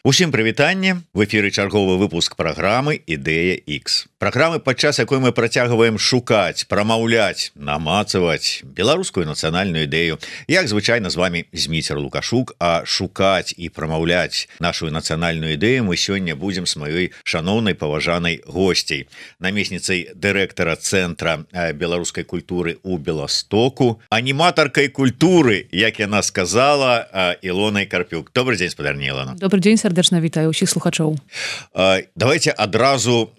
Усім прывітанне, в эфіры чарговы выпуск праграмы Ідэя X. Праграмы, падчас якой мы працягваем шукаць, прамаўляць, намацаваць беларускую нацыянальную ідэю. Як звычайна з вами Зміцер Лукашук, а шукаць і прамаўляць нашу нацыянальную ідэю мы сёння будзем з маёй шаноўнай паважанай госцей, намесніцай дырэктара Цэнтра беларускай культуры ў Беластоку, аніматаркай культуры, як яна сказала, Ілонай Карпюк. Добрый дзень, спадарня Ілона. Добрый дзень, сардэчна вітаю ўсіх слухачоў. Давайте адразу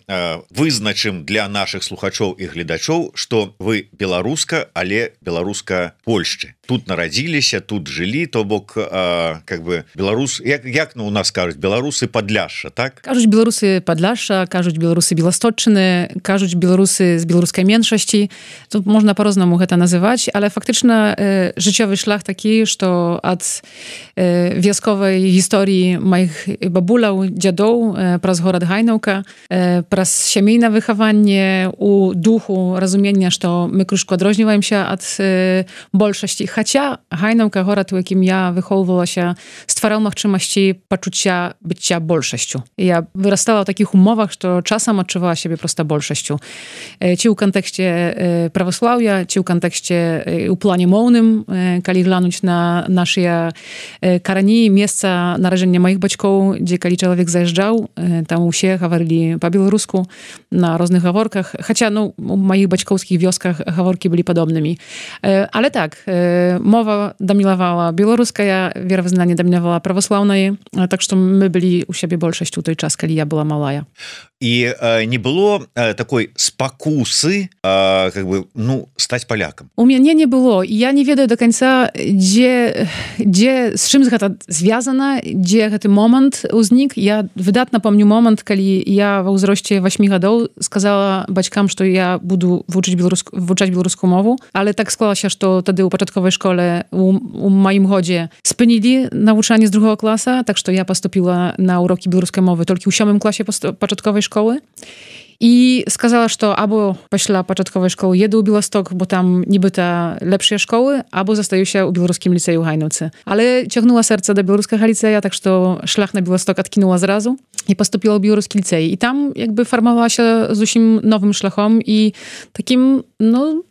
вызначым для наших слухачоў і гледачоў, што вы беларуска, але беларуска Польшчы. Тут нарадзіліся, тут жылі, то бок беларус, як у нас кажуць, беларусы Падляшша, так? Кажуць беларусы Падляшша, кажуць беларусы Беласточчыны, кажуць беларусы з беларускай меншасці. Тут можна по-рознаму гэта называць, але фактычна жыццёвы шлях такі, што ад вясковай гісторыі маіх бабуляў, дзядоў праз горад Гайнаўка, праз сямейнае выхаванне у духу разумення, што мы крышку адрозніваемся ад большасці. Хаця Гайнаўка, горад, у якім я выхоўвалася, ствараў магчымасці пачуцця быцця большасцю. Я вырастала ў такіх умовах, што часам адчувала сябе проста большасцю. Ці ў кантэксце праваслаўя, ці ў кантэксце у плане моўным, калі глянуць на нашыя карані, месца нараджэння маіх бацькоў, дзе калі чалавек заязджаў, там усе гаварылі па-беларуску на розных гаворках. Хаця, у маіх бацькоўскіх вёсках гаворкі былі падобнымі. Але так, мова дамінавала беларуская, веравызнанне дамінавала праваслаўнае, так што мы былі ў сябе большасцю ў той час, калі я была малая. І не было такой спакусы стаць палякам? У мяне не было. Я не ведаю до канца, дзе з чым гэта звязана, дзе гэты момант узнік. Я выдатна помню момант, калі я ва ўзросце 8 гадоў сказала бацькам, што я буду вучаць беларускую мову, але так склалася, што тады ў пачатковай школе у маім годзе спынілі навучанне з 2 класа, так што я паступіла на урокі беларускай мовы толькі ў 7 класе пачатковай школы. І сказала, што або пасля пачатковай школы еду ў Беласток, бо там нібыта лепшыя школы, або застаюся ў беларускім ліцэі ў Гайнаўцы. Але цягнула сэрца да беларускага ліцэя, так што шлях на Беласток адкінула зразу і паступіла ў беларускі ліцэй. І там фармавалася зусім новым шляхом і такім,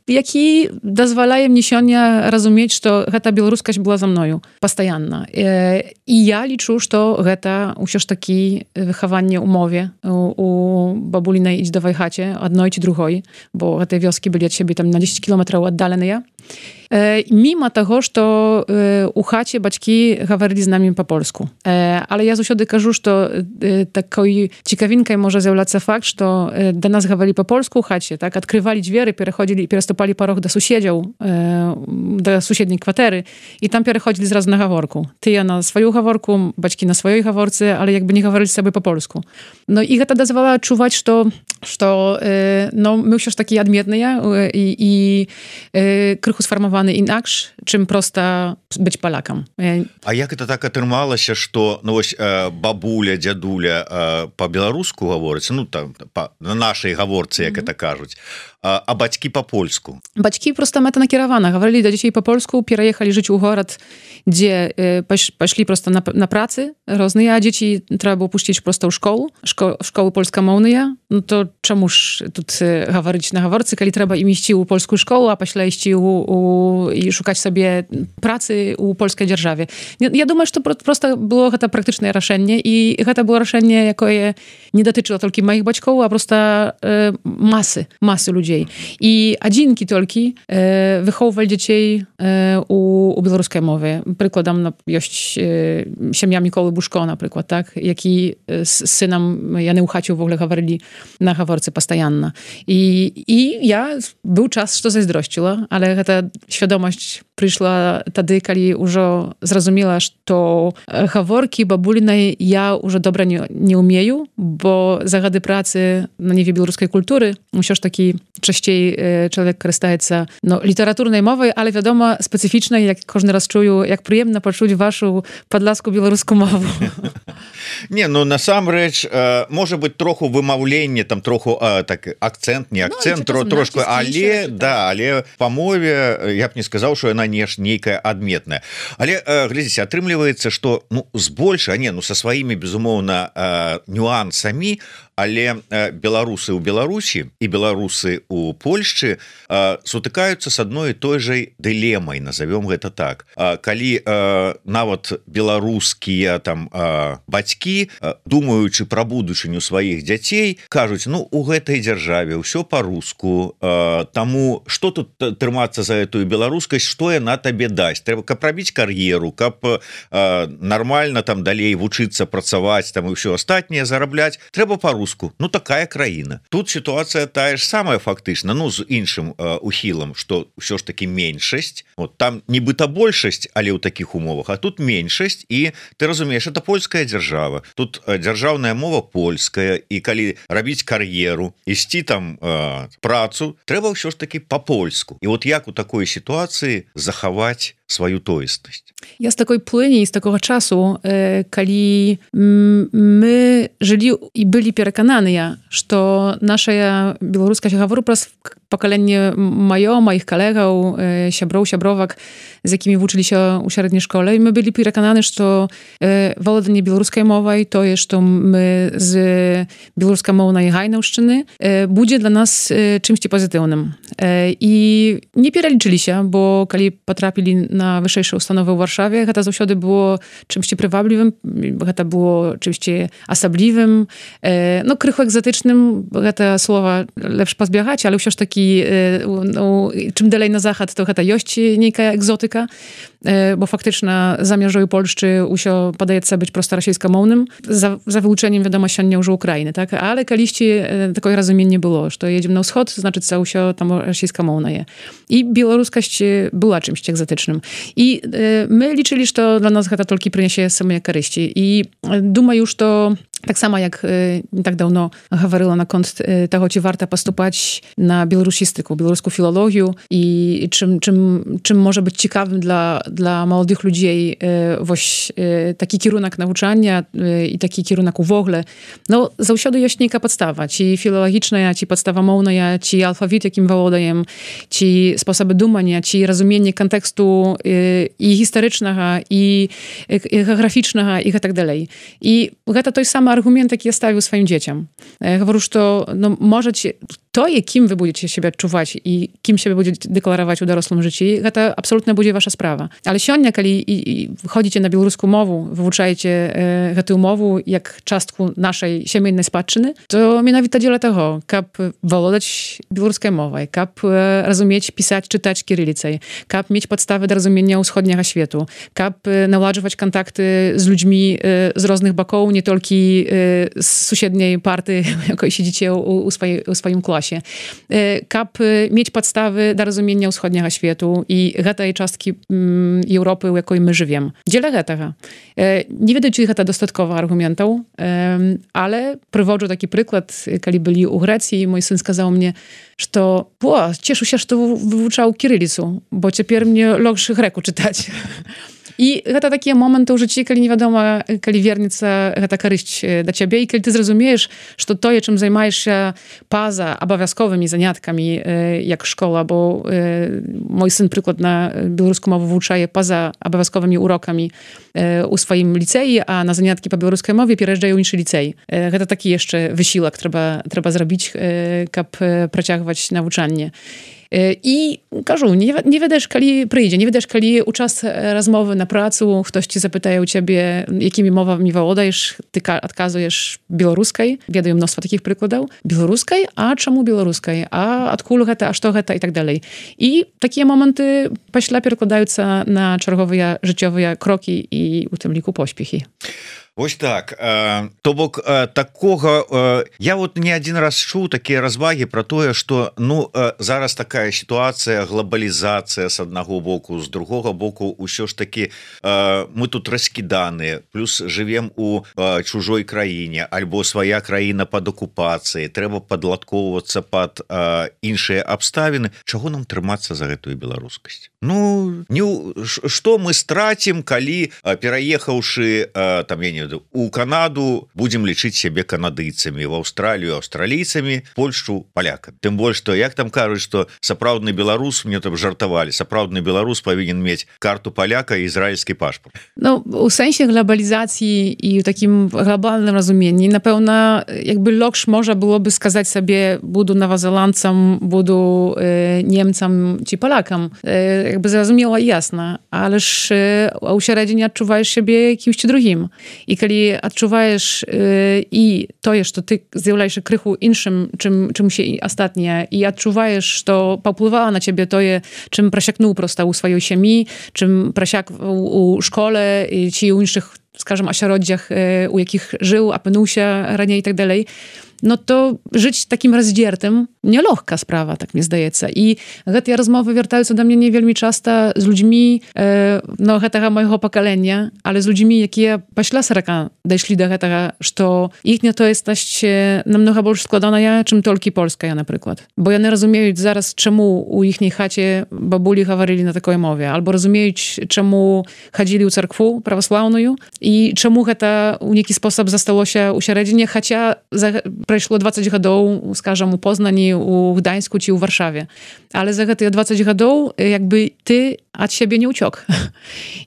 які дазваляе мне сёння разумець, што гэта беларускасць была за мною пастаянна. І я лічу, што гэта ўсё ж такі выхаванне ў мове у бабулінай і дзедавай хаце, адной ці другой, бо гэтыя вёскі былі ад сябе там на 10 кілометраў аддаленыя. Міма таго, што у хаце бацькі гаварылі з намі па-польску. Але я заўсёды кажу, што такой цікавінкай можа з'яўляцца факт, што да нас гаварылі па-польску ў хаце, так, адкрывалі дзверы, пераходзілі і пераступалі парог да суседзяў, да суседняй кватэры, і там пераходзілі зразу на гаворку. Тыя на сваю гаворку, бацькі на сваёй гаворцы, але як бы не гаварылі з сабой па-польску. І гэта дазвала адчуваць, што мы ўсё ж такі адметныя і крыху сфармаваны інакш, чым проста быць палякам. А як это так атрымалася, што бабуля, дзядуля па-беларуску гаворыць, на нашай гаворцы, як это кажуць, а бацькі па-польску? Бацькі проста мэтанакіравана гаварылі да дзяцей па-польску, пераехалі жыць у горад, дзе пайшлі проста на працы розныя, а дзеці трэба было пусціць проста ў школы польскамоўныя. То чаму ж тут гаварыць на гаворцы, калі трэба ім ісці ў польскую школу, а пасля ісці і шукаць сабе працы ў польскай дзяржаве. Я думаю, што проста было гэта практычнае рашэнне, і гэта было рашэнне, якое не датычыла толькі маіх бацькоў, а проста масы людзей. І адзінкі толькі выхоўвалі дзяцей у беларускай мове. Прыкладам ёсць сям'я Міколы Бушко, напрыклад, так, які з сынам, яны ў хаце ўвогуле гаварылі на гаворцы пастаянна. І я быў час, што зайздросціла, але гэта świadomość прыйшла тады, калі ўжо зразумела, што гаворкі бабулінай я ўжо добра не ўмею, бо за гады працы на ніве беларускай культуры ўсё ж такі частей чалавек карыстаецца літаратурнай мовай, але вядома спецыфічнай, як кожны раз чую, як прыемна пачуць вашу падласку беларускую мову. Не, насамрэч можа быць троху вымаўленне, там троху так акцэнт, не акцэнт, трошку, але па мове я б не сказаў, што яна нейкая адметная. Але глядзіце, атрымліваецца, што збольшага, са сваімі безумоўна нюансамі, але беларусы ў Беларусі і беларусы ў Польшчы сутыкаюцца з адной і той жа дылемай, назовём гэта так. Калі нават беларускія там бацькі, думаючы пра будучыню сваіх дзяцей, кажуць, у гэтай дзяржаве ўсё па-руску, таму што тут трымацца за гэтую беларускасць, што яна табе дасць? Трэба, каб рабіць кар'еру, каб нармальна там далей вучыцца, працаваць там і ўсё астатняе зарабляць, трэба па-руску. Такая краіна. Тут сітуацыя тая ж самая фактычна, з іншым ухілам, што ўсё ж такі меншасць, там нібыта большасць, але ў такіх умовах, а тут меншасць, і ты разумееш, это польская дзяржава. Тут дзяржаўная мова польская, і калі рабіць кар'еру, ісці там працу, трэба ўсё ж такі па-польску. І як у такой сітуацыі захаваць сваю тоеснасць? Ja z takiej płyni, z takiego czasu, kiedy my żyli i byli przekonani, że nasza białoruska się говорю przez pokolenie moich kolegów, siabrowek, z jakimi uczyli się u średniej szkole, i my byli przekonani, że władanie białoruskiej mowy to jest, że my z białoruskiej mownej Hajnauszczyny będzie dla nas czymś pozytywnym. I nie przeliczyli się, bo kiedy potrafili na wyższe ustanowy w Warszawie, to zawsze było czymś prywabливym, to było czymś osobliwym, krychu egzotycznym, to słowa lepsze pozbiegać, ale już taki czym dalej na zachód, to jest niejka egzotyka, bo faktycznie zamierzają Polszczy usio podaje być prosto rosyjskomownym, za wyłączeniem wiadomo się nie Ukrainy, tak? Ale kaliści takiego rozumienia nie było, że jedziemy na wschód, znaczy co usio tam rosyjskomowna je. I białoruskość była czymś egzotycznym. I my liczyli, że to dla nas to tylko przyniesie same korzyści. I думаю, już to tak samo jak nie tak dawno mówiła na kont tego, czy warto postupać na białorusistyku, białoruską filologię i czym może być ciekawym dla młodych ludzi taki kierunek nauczania i taki kierunek w ogóle. Zawsze jest niejka podstawa, ci filologiczna, ci podstawa mowna, ci alfabet, jakim wołodajem, ci sposoby dumania, ci rozumienie kontekstu i historycznego, i geograficznego, i tak dalej. I to jest sam argument, jaki ja stawił swoim dzieciom. Mówię, że możecie to, kim wy będziecie siebie odczuwać i kim siebie będziecie deklarować w dorosłym życiu, to absolutnie będzie wasza sprawa. Ale сегодня, kiedy chodzicie na białoruską mowę, wyuczajecie tę mowę jak częstku naszej siemiennej spadczyny, to mianowicie dziela tego, kap władać białoruską mową, kap rozumieć, pisać, czytać kirylicę, kap mieć podstawy do rozumienia wschodniego świata, kap naładować kontakty z ludźmi z różnych boków, nie tylko z sąsiedniej party, jakiej siedzicie u swoim klasie. Kap mieć podstawy do rozumienia wschodniego świata i tej czastki Europy, w jakiej my żyjemy. Dzielę tego. Nie wiem, czy to dostatkowo argumentów, ale przywodzę taki przykład, kiedy byli u Grecji, mój syn сказал mnie, że cieszę się, że to wyuczał kirylicę, bo teraz mnie logszy greku czytać. I to taki moment w życiu, kiedy nie wiadomo, kiedy wiernica ta korzyść dla ciebie i kiedy ty zrozumiesz, że to, czym zajmujesz się poza obowiązkowymi zaniatkami, jak szkoła, bo mój syn przykład na białoruską mowę wyuczaje poza obowiązkowymi urokami u swoim licei, a na zaniatki po białoruskiej mowie przyjeżdżają inne licei. To taki jeszcze wysiłek trzeba zrobić, kap prociągać nauczanie. I кажу, nie wiesz, kiedy przyjdzie, nie wiesz, kiedy uczas rozmowy na pracu, ktoś ci zapytaje u ciebie, jakimi mowami władajesz, ty odkazujesz białoruskiej, wiadomo mnóstwo takich przykładów, białoruskiej, a czemu białoruskiej, a odkulu to, a co to i tak dalej. I takie momenty pośle przekładają się na czerwowe życiowe kroki i u tym liku pośpiechi. Вось так, то бок такога я вот не один раз чуў такія развагі про тое, что ну зараз такая сітуацыя, глобалізацыя с аднаго боку, з другога боку ўсё ж таки мы тут раскіданыя, плюс живем у чужой краіне, альбо свая краіна под окупацыяй, трэба падладкоўвацца под іншыя абставіны. Чаго нам трымацца за гэтую беларускасць? Ну что мы страцім, калі пераехаўшы там я не ведаю у Канаду будем лічыць сябе канадыйцамі, в Аўстралію аўстралійцамі, Польшу палякамі. Тым больш што як там кажуць, што сапраўдны беларус, мне там жартавалі, сапраўдны беларус павінен мець карту паляка і ізраільскі пашпарт. Ну у сэнсе глобалізацыі і ў такім глобальным разуменні напэўна якби лёгш можа было бы сказаць сабе буду новозеландцам, буду немцам ці палякам, якби зразумела ясна, але ж у сярэдзіне адчуваеш сябе кімсьці другім. І калі адчуваеш і тое, што ты з'яўляешся крыху іншым, чым się астатнія, і адчуваеш, што паўплывала на цябе тое, чым прасякнуў проста ў сваёй сям'і, чым прасяк у школе ці ў іншых, скажем, асяроддзях, у якіх жыў, апынуўся раней і так далей, no to żyć takim rozdziertym nielегка sprawa, tak mi zdaється. I гэтыя rozmowy wяртаюцца do mnie nie вельмі часта з людзьмі no гэтага майго пакалення, але з людзьмі, якія пасля 40 дайшлі до гэтага, што іхня тоеснасць намнога больш складаная, чым толькі польская, напрыклад. Бо яны разумеюць зараз, чаму у іхняй хаце бабулі гаварылі на такой мове, альбо разумеюць, чаму хадзілі ў царкву праваслаўную і чаму гэта ў нейкі спосаб засталося ў сярэдзіне, хаця прайшло 20 гадоў, скажам, у Познані, у Гданьску ці ў Варшаве. Але за гэтыя 20 гадоў якby ты ад сябе не ўцёк.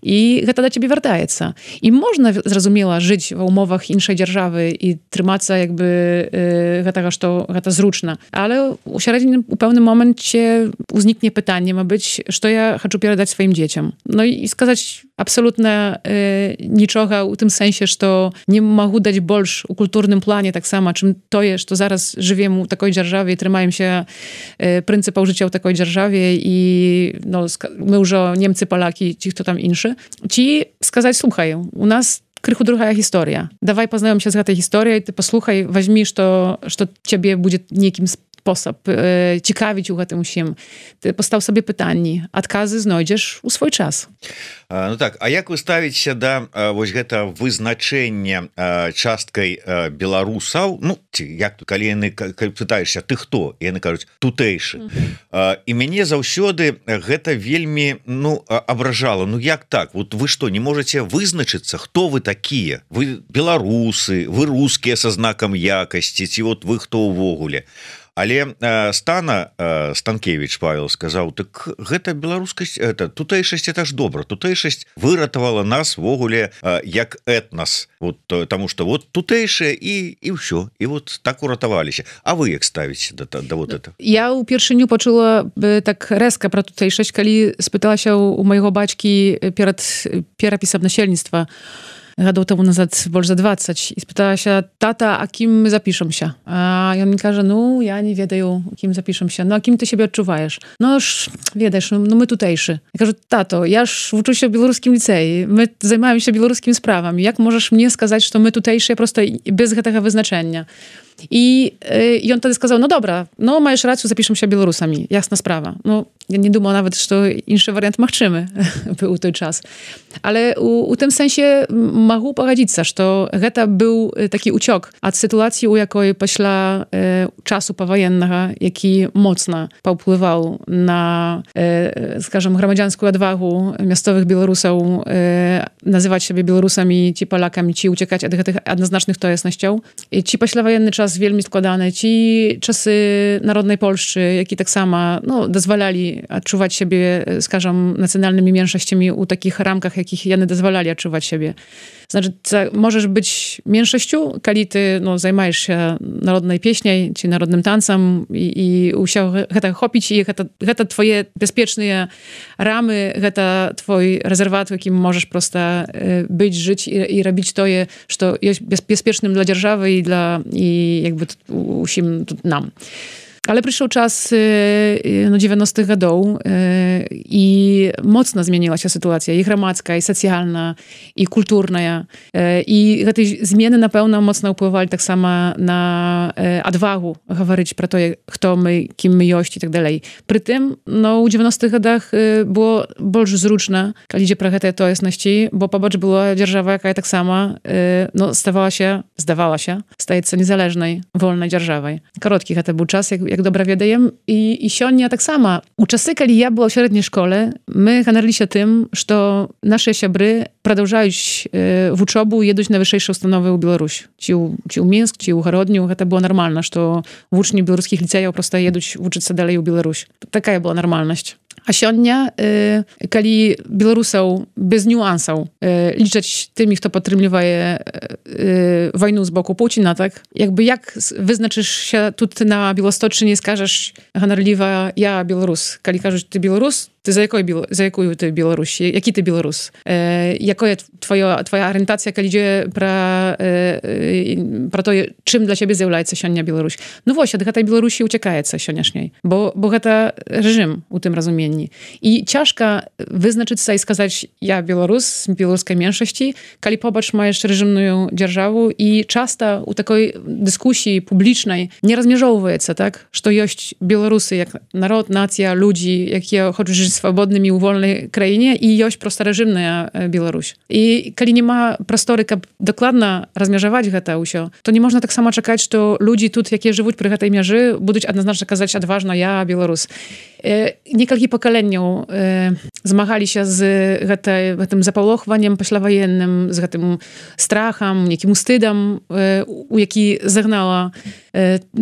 І гэта да цябе вяртаецца. І можна, зразумела, жыць ва ўмовах іншай дзяржавы і трымацца якby гэтага, што гэта зручна. Але у сярэдзіне у пэўным моменце узнікне пытанне, мабыць, што я хачу перадаць сваім дзецям. Ну і сказаць абсолютно нічога ў тым сэнсе, што не магу даць больш у культурным плане таксама, чым тое, што зараз жывем у такой дзяржаве і трымаемся прынцыпаў жыцця ў такой дзяржаве і no, мы ўжо немцы, палякі, ці хто там іншы. Ці сказаць, слухай, у нас крыху другая гісторыя. Давай пазнаёмся з гэтай гісторыяй, ты паслухай, вазьмі, што цябе будзе нейкім спосаб цікавіць у гэтым усім. Ты пастаў сабе пытанні, адказы знойдзеш у свой час. Ну так, а як вы ставіцеся да вось гэта вызначэння часткай беларусаў, ну ці як тут, калі яны пытаешся, ты хто? І яны кажуць тутэйшы. І мяне заўсёды гэта вельмі абражала. Ну як так? Вот вы што, не можаце вызначыцца, хто вы такія? Вы беларусы, вы рускія са знакам якасці, ці вот вы хто ўвогуле? Але Станкевич Павел сказаў, так гэта беларускасць, тутэйшасць это ж добра, тутэйшасць выратавала нас ввогуле як этнас, вот, таму што вот тутэйшыя і ўсё, і вот так уратаваліся. А вы як ставіце да вот это? Я ўпершыню пачула так рэзка пра тутэйшасць, калі спыталася у майго бацькі перад перапісам насельніцтва гадоў таму назад больш за 20 і спыталася, тата, а кім мы запішемся? А ён мне кажа, ну, я не ведаю, кім запішемся. Ну, а кім ты сябе адчуваеш? Ну, ж, ведаеш, ну, мы тутэйшы. Я кажу, тато, я ж вучуся ў беларускім ліцэі, мы займаемся беларускімі справамі. Як можаш мне сказаць, што мы тутэйшыя проста без гэтага вызначэння? І ён тады сказаў, ну добра, ну маеш рацыю, запішемся беларусамі, ясна справа. Ну, я не думала нават, што іншы варыянт магчымы быў у той час. Але у тым сэнсе магу пагадзіцца, што гэта быў такі ўцёк ад сітуацыі, у якой пасля часу паваеннага, які моцна паўплываў на, скажам, грамадзянскую адвагу мясцовых беларусаў называць сябе беларусамі ці палякамі, ці уцякаць ад гэтых адназначных тоеснасцяў. Ці пасляваенны час вельмі складаны, ці часы народнай Польшчы, які таксама дазвалялі адчуваць сябе, скажам, нацыянальнымі меншасцямі ў такіх рамках, якіх яны дазвалялі адчуваць сябе. Значыць, можаш быць меншасцю, калі ты займаешся народнай песняй ці народным танцам і ўсё гэта хопіць, і гэта твае бяспечныя рамы, гэта твой рэзерват, у якім можаш проста быць, жыць і рабіць тое, што ёсць бяспечным для дзяржавы і якby усім тут нам. Ale przyszedł czas 90-tych latów i mocno zmieniła się sytuacja i gramadzka, i socjalna, i kulturna. I te zmiany na pewno mocno wpływali tak samo na odwagę mówić pro to, kto my, kim my jość i tak dalej. Przy tym, no, w 90-tych latach było bardzo zrучно, kiedy idzie pro te tojesności, bo pobacz była dzierżawa, jaka tak sama, no, zdawała się, staje się niezależnej, wolnej dzierżawą. Krótki to był czas, jak dobra wiedajem, i sionia tak sama. U czasy, kiedy ja była w średniej szkole, my hanarli się tym, że nasze siabry продолжаją w uczobu jeść na wyższe ustanove u Białorusi. Ci u Mińsk, ci u Horodniu, to było normalne, że uczni białoruskich licejów prosto jedą uczyć się dalej u Białorusi. Taka była normalność. A sionia, kiedy Białorusów bez niuansów liczyć tymi, kto podtrzymuje wojnę z boku Putina, tak? Jakby jak wyznaczysz się tutaj na Białostoczy, nie skażesz honarliwa ja Białorus. Kiedy każesz ty Białorus, ty za jaką ty Białoruś? Jaki ty Białorus? Jaka jest twoja orientacja, kiedy idzie pro to, czym dla ciebie zjawляє sionia Białoruś? No właśnie, do tej Białorusi uciekaje się sioniaszniej, bo to reżim u tym rozumieni. I ciężko wyznaczyć się i skazać ja Białorus, z białoruskiej mniejszości, kiedy pobacz ma jeszcze reżimną dzierżawę i często u takiej dyskusji publicznej nie rozmierzowuje się, tak? Że jest Białorusy jak naród, nacja, ludzi, jakie chcą żyć w swobodnym i wolnej krainie i jest prosta reżimna Białoruś. I kiedy nie ma prostory, aby dokładnie rozmierzować to nie można tak samo czekać, że ludzi tu, jakie żyją przy tej mierze, będą jednoznacznie kazać odważno ja Białorus. Niekalki pokoleniu zmagali się z tym zapałochwaniem poślawojennym, z tym strachem, niekim wstydem, u jaki zagnała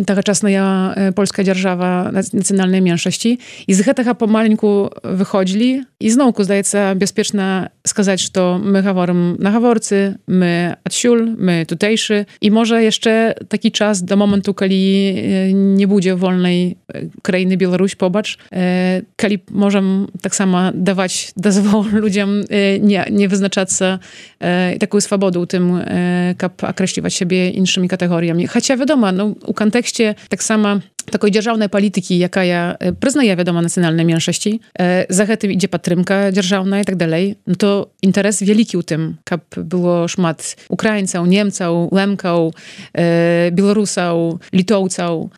tagaczasna polska dzierżawa nacjonalnej mniejszości. I z tego pomalinku wychodzili i znowu zdaje się bezpieczne skazać, że to my mówimy na haworcy, my odsiul, my tutejszy i może jeszcze taki czas do momentu, kiedy nie będzie wolnej krainy Białoruś pobacz, kiedy możemy tak samo dawać dozwól ludziom nie wyznaczać się taką swobodę tym, jak określiwać siebie innymi kategoriami. Chociaż wiadomo, no, u kontekście tak samo takiej dzierżawnej polityki, jaka ja przyznaję, wiadomo, nacjonalnej mniejszości, za tym idzie patrymka dzierżawna i tak dalej, no to interes wielki u tym, aby było szmat Ukraińców, Niemców, Lemków, Białorusów, Litowców,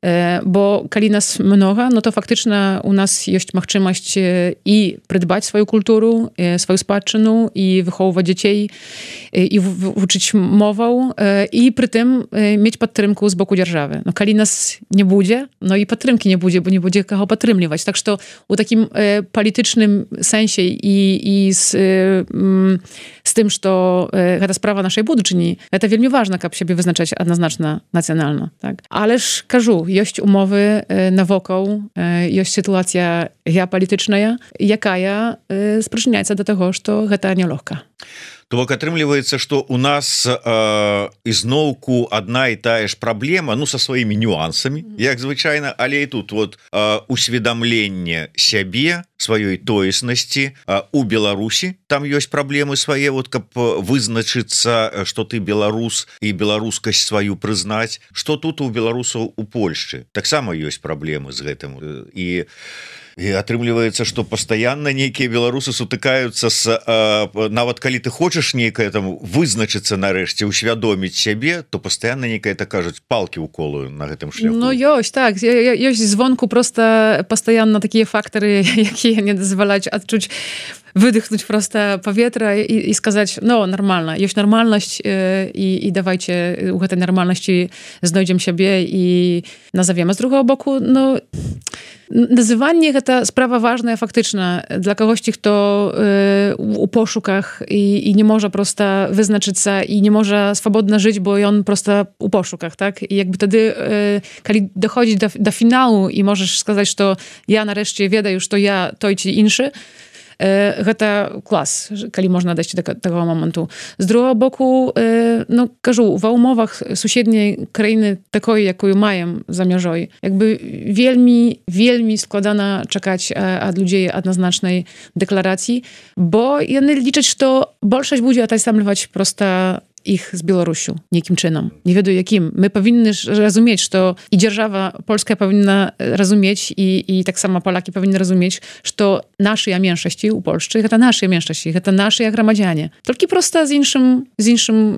bo kiedy nas mnoga, no to faktycznie u nas jest możliwość i przydbać swoją kulturę, swoją spadczynę i wychowywać dzieci i uczyć mową i przy tym mieć patrymkę z boku dzierżawy. No kiedy nas nie będzie, no i patrymki nie będzie, bo nie będzie kogo patrymliwać. Tak, że to u takim politycznym sensie i z tym, że to ta sprawa naszej budżety, to wielmi ważne, aby siebie wyznaczać jednoznacznie nacjonalna. Tak? Ależ każu, jest umowy na wokół, jest sytuacja geopolityczna, jaka sprzyczynia się do tego, że to nie легка. То бок атрымліваецца, што у нас ізноўку адна і тая ж праблема, ну, са сваімі нюансамі, як звычайна, але і тут вот усведамленне сябе, сваёй тоеснасці у Беларусі, там ёсць праблемы свае, вот каб вызначыцца, што ты беларус і беларускасць сваю прызнаць, што тут у беларусаў у Польшчы таксама ёсць праблемы з гэтым і атрымліваецца, што пастаянна нейкія беларусы сутыкаюцца з нават калі ты хочаш нейкае там вызначыцца нарэшце, усвядоміць сябе, то пастаянна нейкае так кажуць палкі ўколую на гэтым шляху. Ну ёсць, так, ёсць звонку просто пастаянна такія фактары, якія не дазваляюць адчуць выдыхнуть просто powietrze i сказать, no, normalna, jest normalność i dawajcie u tej normalności znajdziemy siebie i nazawiemy. Z drugiego boku, no, nazywanie to sprawa ważna, faktyczna dla kogoś, kto u poszukach i nie może prosto wyznaczyć się i nie może swobodnie żyć, bo on prosto u poszukach, tak? I jakby wtedy, kiedy dochodzi do finału i możesz сказать, że ja nareszcie wiedę już, to ja, to i ci inszy, гэта клас, калі можна дайсці да таго моманту. З другого боку, ну, кажу, ва умовах суседняй краіны такой, якую маем за мяжой, якby вельмі складана чакаць ад людзей адназначнай дэкларацыі, бо яны лічаць, што большасць будзе атасамліваць проста ich z Białorusią, niekim czynom. Nie wiedzą jakim. My powinny rozumieć, że i dzierżawa polska powinna rozumieć i tak samo Polaki powinny rozumieć, że nasze mniejszości u Polszczy, to nasze mniejszości, to nasze gromadzianie. Tylko prosto z innym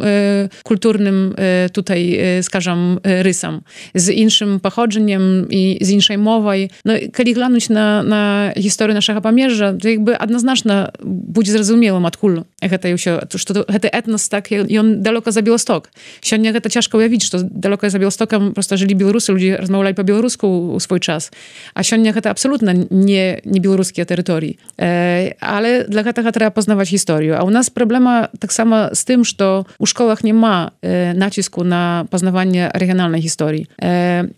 kulturnym tutaj, skażam, rysem, z innym pochodzeniem i z innej mową. No, kiedy glądać na historię naszego Pamierza, to jakby jednoznacznie będzie zrozumiałym odkul to etnos tak, i on daleko za Białystok. Сегодня to ciężko ujawić, że daleko za Białostokiem prosto żyli Białorusy, ludzie rozmawiali po białorusku w swój czas. A сегодня to absolutnie nie białoruskie terytorii. Ale dla tego trzeba poznawać historię. A u nas problema tak samo z tym, że u szkołach nie ma nacisku na poznawanie regionalnej historii.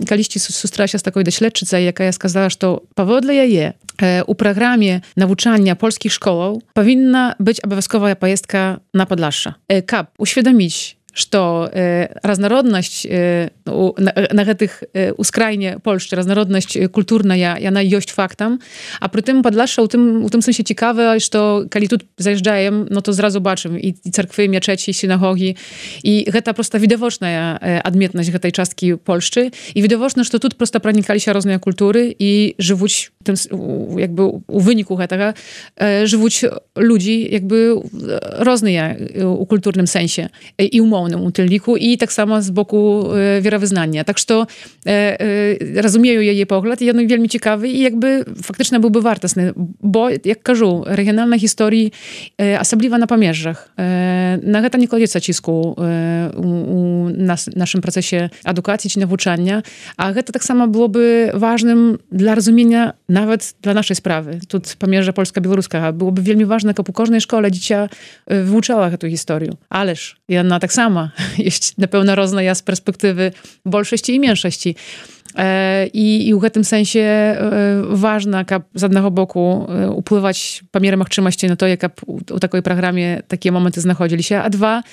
Kiedyś sustrzela się z taką doświadczycą, jaka сказала, że powodle je u programie nauczania polskich szkoł powinna być obowiązkowa pojezdka na Podlasze. Kap uświadomić, że różnorodność na tych uskrajnie Polszczy, różnorodność kulturna, ona jest faktem, a przy tym Podlasze u tym sensie ciekawe, że kiedy tu zajeżdżają, no to zrazu zobaczymy i cerkwy, i meczeci, i synagogi, i to prosta widoczna odmietność tej czastki Polszczy, i widoczne, że tu prosto pronikali się różne kultury i żywuć jakby u wyniku tego żywuć ludzi jakby różne u kulturnym sensie i umownym utylniku i tak samo z boku wierowyznania. Tak, że rozumieją jej pogląd i on jest ciekawy i jakby faktycznie byłby wartosny, bo jak кажу, regionalna historii osobliwa na Pamierzach. Na to nie kładzie cisku u naszym procesie edukacji czy nauczania, a to tak samo byłoby ważnym dla rozumienia nawet dla naszej sprawy. Tu Pamierza polska-białoruska byłoby wielmi ważne, jak u każdej szkole dziecię wyuczała tę historię. Ależ i ona tak sama jest na pewno różna z perspektywy bolszości i mniejszości. I w tym sensie ważne, jak z jednego boku upływać po mierę możliwości na to, jak u takiej programie takie momenty znachodzili się, a dwa,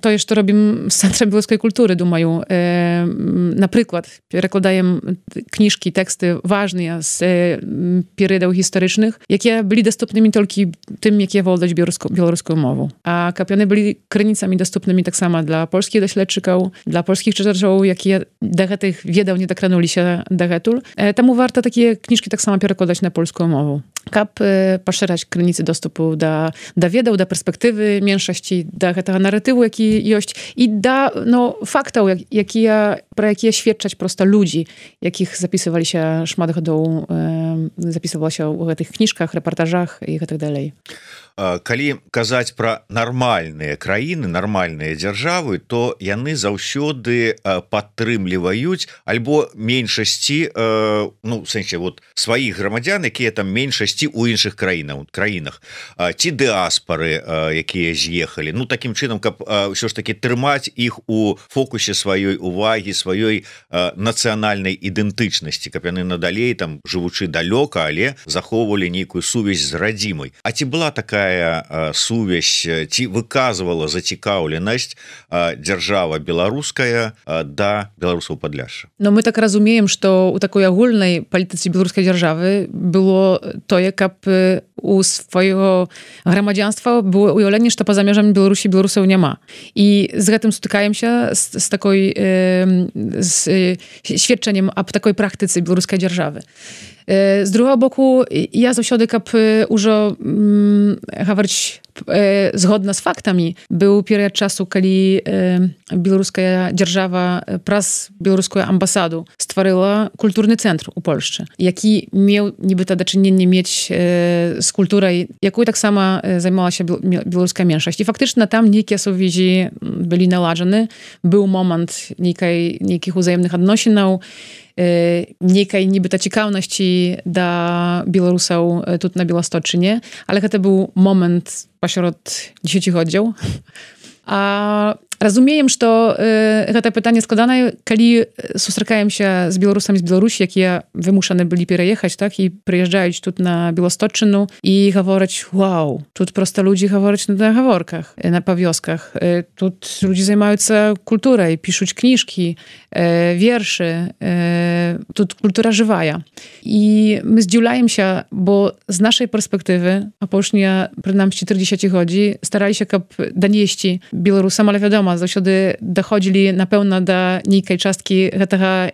to jeszcze robimy z Centrum Białoruskiej Kultury, думаю. Na przykład przekładają książki, teksty ważne z periodą historycznych, jakie byli dostępnymi tylko tym, jakie władać białoruską mową. A one byli krynicami dostępnymi tak samo dla polskich doświadczyków, dla polskich czytaczy, jakie do tych wiedał nie dokranuli się do retul. Temu warto takie książki tak samo przekładać na polską mowę. Kap poszerzać krynicy dostępu do wiedzy, do perspektywy mniejszości, do tego narratywu, jaki jest i do faktów, pro jakie świadczać prosto ludzi, jakich zapisywali się szmadochodą, zapisywało się w tych książkach, reportażach i tak dalej. Калі казаць пра нармальныя краіны, нармальныя дзяржавы, то яны заўсёды падтрымліваюць альбо меншасці, ну, в сэнсе, вот, сваіх грамадзян, якія там меншасці ў іншых краінах, ці дыаспары, якія з'ехалі. Ну, такім чынам, каб ўсё ж такі трымаць іх у фокусе сваёй увагі, сваёй нацыянальнай ідэнтычнасці, каб яны надалей, там, жывучы далёка, але захоўвалі нейкую сувязь з радзімай. А ці была такая сувязь, ці выказывала зацікаўленасць дзяржава беларуская да беларусаў Падляшша? No my tak rozumiem, że u takiej ogólnej polityce białoruskiej dzierżawy było to, jak u swojego gromadzianstwa było ujawnienie, że poza mierzami Białorusi Białorusów nie ma. I z tym stykają się z takiej świadczeniem o takiej praktyce białoruskiej dzierżawy. Z drugiego boku, ja zawsze użo mówić zgodna z faktami. Był period czasu, kiedy białoruska dzierżawa pras białoruską ambasadą stworzyła kulturny centrum u Polszczy, jaki miał niby to do czynienia mieć z kulturą, jaką tak samo zajmowała się białoruska mniejszość. I faktycznie tam niejakie więzi byli naladzone. Był moment niekich wzajemnych odnosinów, niekaj niby ta ciekawności dla Białorusów tu na Białostoczynie, ale to był moment pośród 10 oddział. A Разумеем, што гэта пытанне складанае, калі сустракаем się з беларусамі з Беларусі, якія вымушаны былі пераехаць, так, і прыязджаюць тут на Беласточчыну і гавораць: вау, тут проста людзі гавораць на гаворках, на павёсках. Тут людзі займаюцца культурай, пішуць кніжкі, вершы. Тут культура жывая. І мы здзіўляемся, бо з нашай перспектывы апошнія, прынамсі 40 годзі, стараліся, каб данесці беларусам, але вядома, заўсёды даходзілі, напэўна, да нейкай часткі гэтага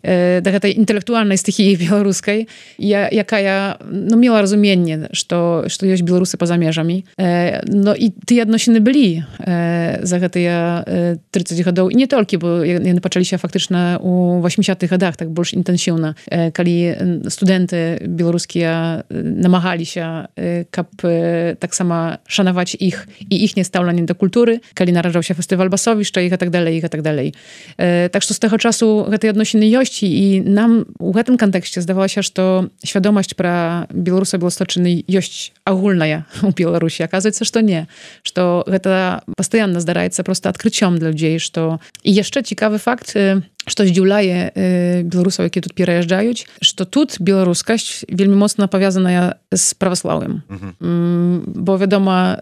да гэтай інтэлектуальнай стыхіі беларускай, якая мела разуменне, што ёсць беларусы па-за межамі. Ну і тыя адносіны былі за гэтыя 30 гадоў. І не толькі, бо яны пачаліся фактычна ў 80-х гадах, так больш інтэнсіўна, калі студэнты беларускія намагаліся, каб таксама шанаваць іх і іхняе стаўленне да культуры, калі нараджаўся фестываль Басовішча і гэтак далей, і гэтак далей. Так што з таго часу гэтыя адносіны ёсць, і нам у гэтым кантэксце здавалася, што свядомасць пра беларуса Беласточчыны ёсць агульная у Беларусі. Аказваецца, што не. Што гэта пастаянна здараецца проста адкрыццём для людзей, што... І яшчэ цікавы факт, што здзіўляе беларусаў, якія тут пераязджаюць, што тут беларускасць вельмі моцна павязаная з праваслаўем. Бо, вядома,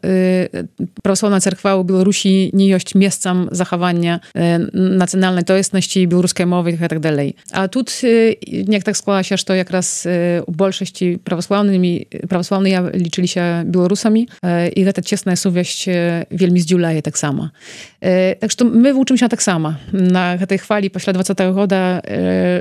праваслаўная царква ў Беларусі не ёсць месцам захавання нацыянальнай тоеснасці, беларускай мовы і гэтак далей. А тут неяк так склалася, што якраз у большасці праваслаўныя лічыліся беларусамі, і гэта цесная сувязь вельмі здзіўляе таксама. Так што мы вучымся таксама на гэтай хвалі пасля 20-го года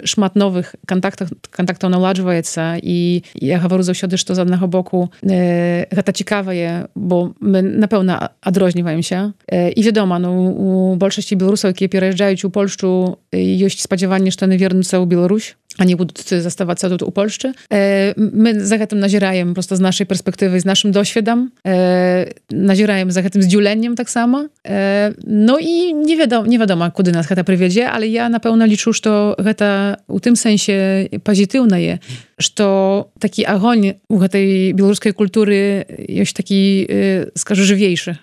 шмат новых кантактаў наладжваецца, і я гавару заўсёды, што з аднаго боку гэта цікавае, бо мы, напэўна, адрозніваемся. І вядома, у большасці беларусаў, якія пераязджаюць у Польшчу, ёсць спадзяванне, што яны вернуцца ў Беларусь, они будут заставаться тут у Польшчы. Мы за гэтым назіраем просто з нашай перспектывы, з нашым досведам, назіраем за гэтым здзіўленнем таксама. Ну і невядома, куды нас гэта прывядзе, але я, напэўна, лічу, што гэта у тым сэнсе пазітыўнае, што такі агонь у гэтай беларускай культуры ёсць такі, скажу, жывейшы.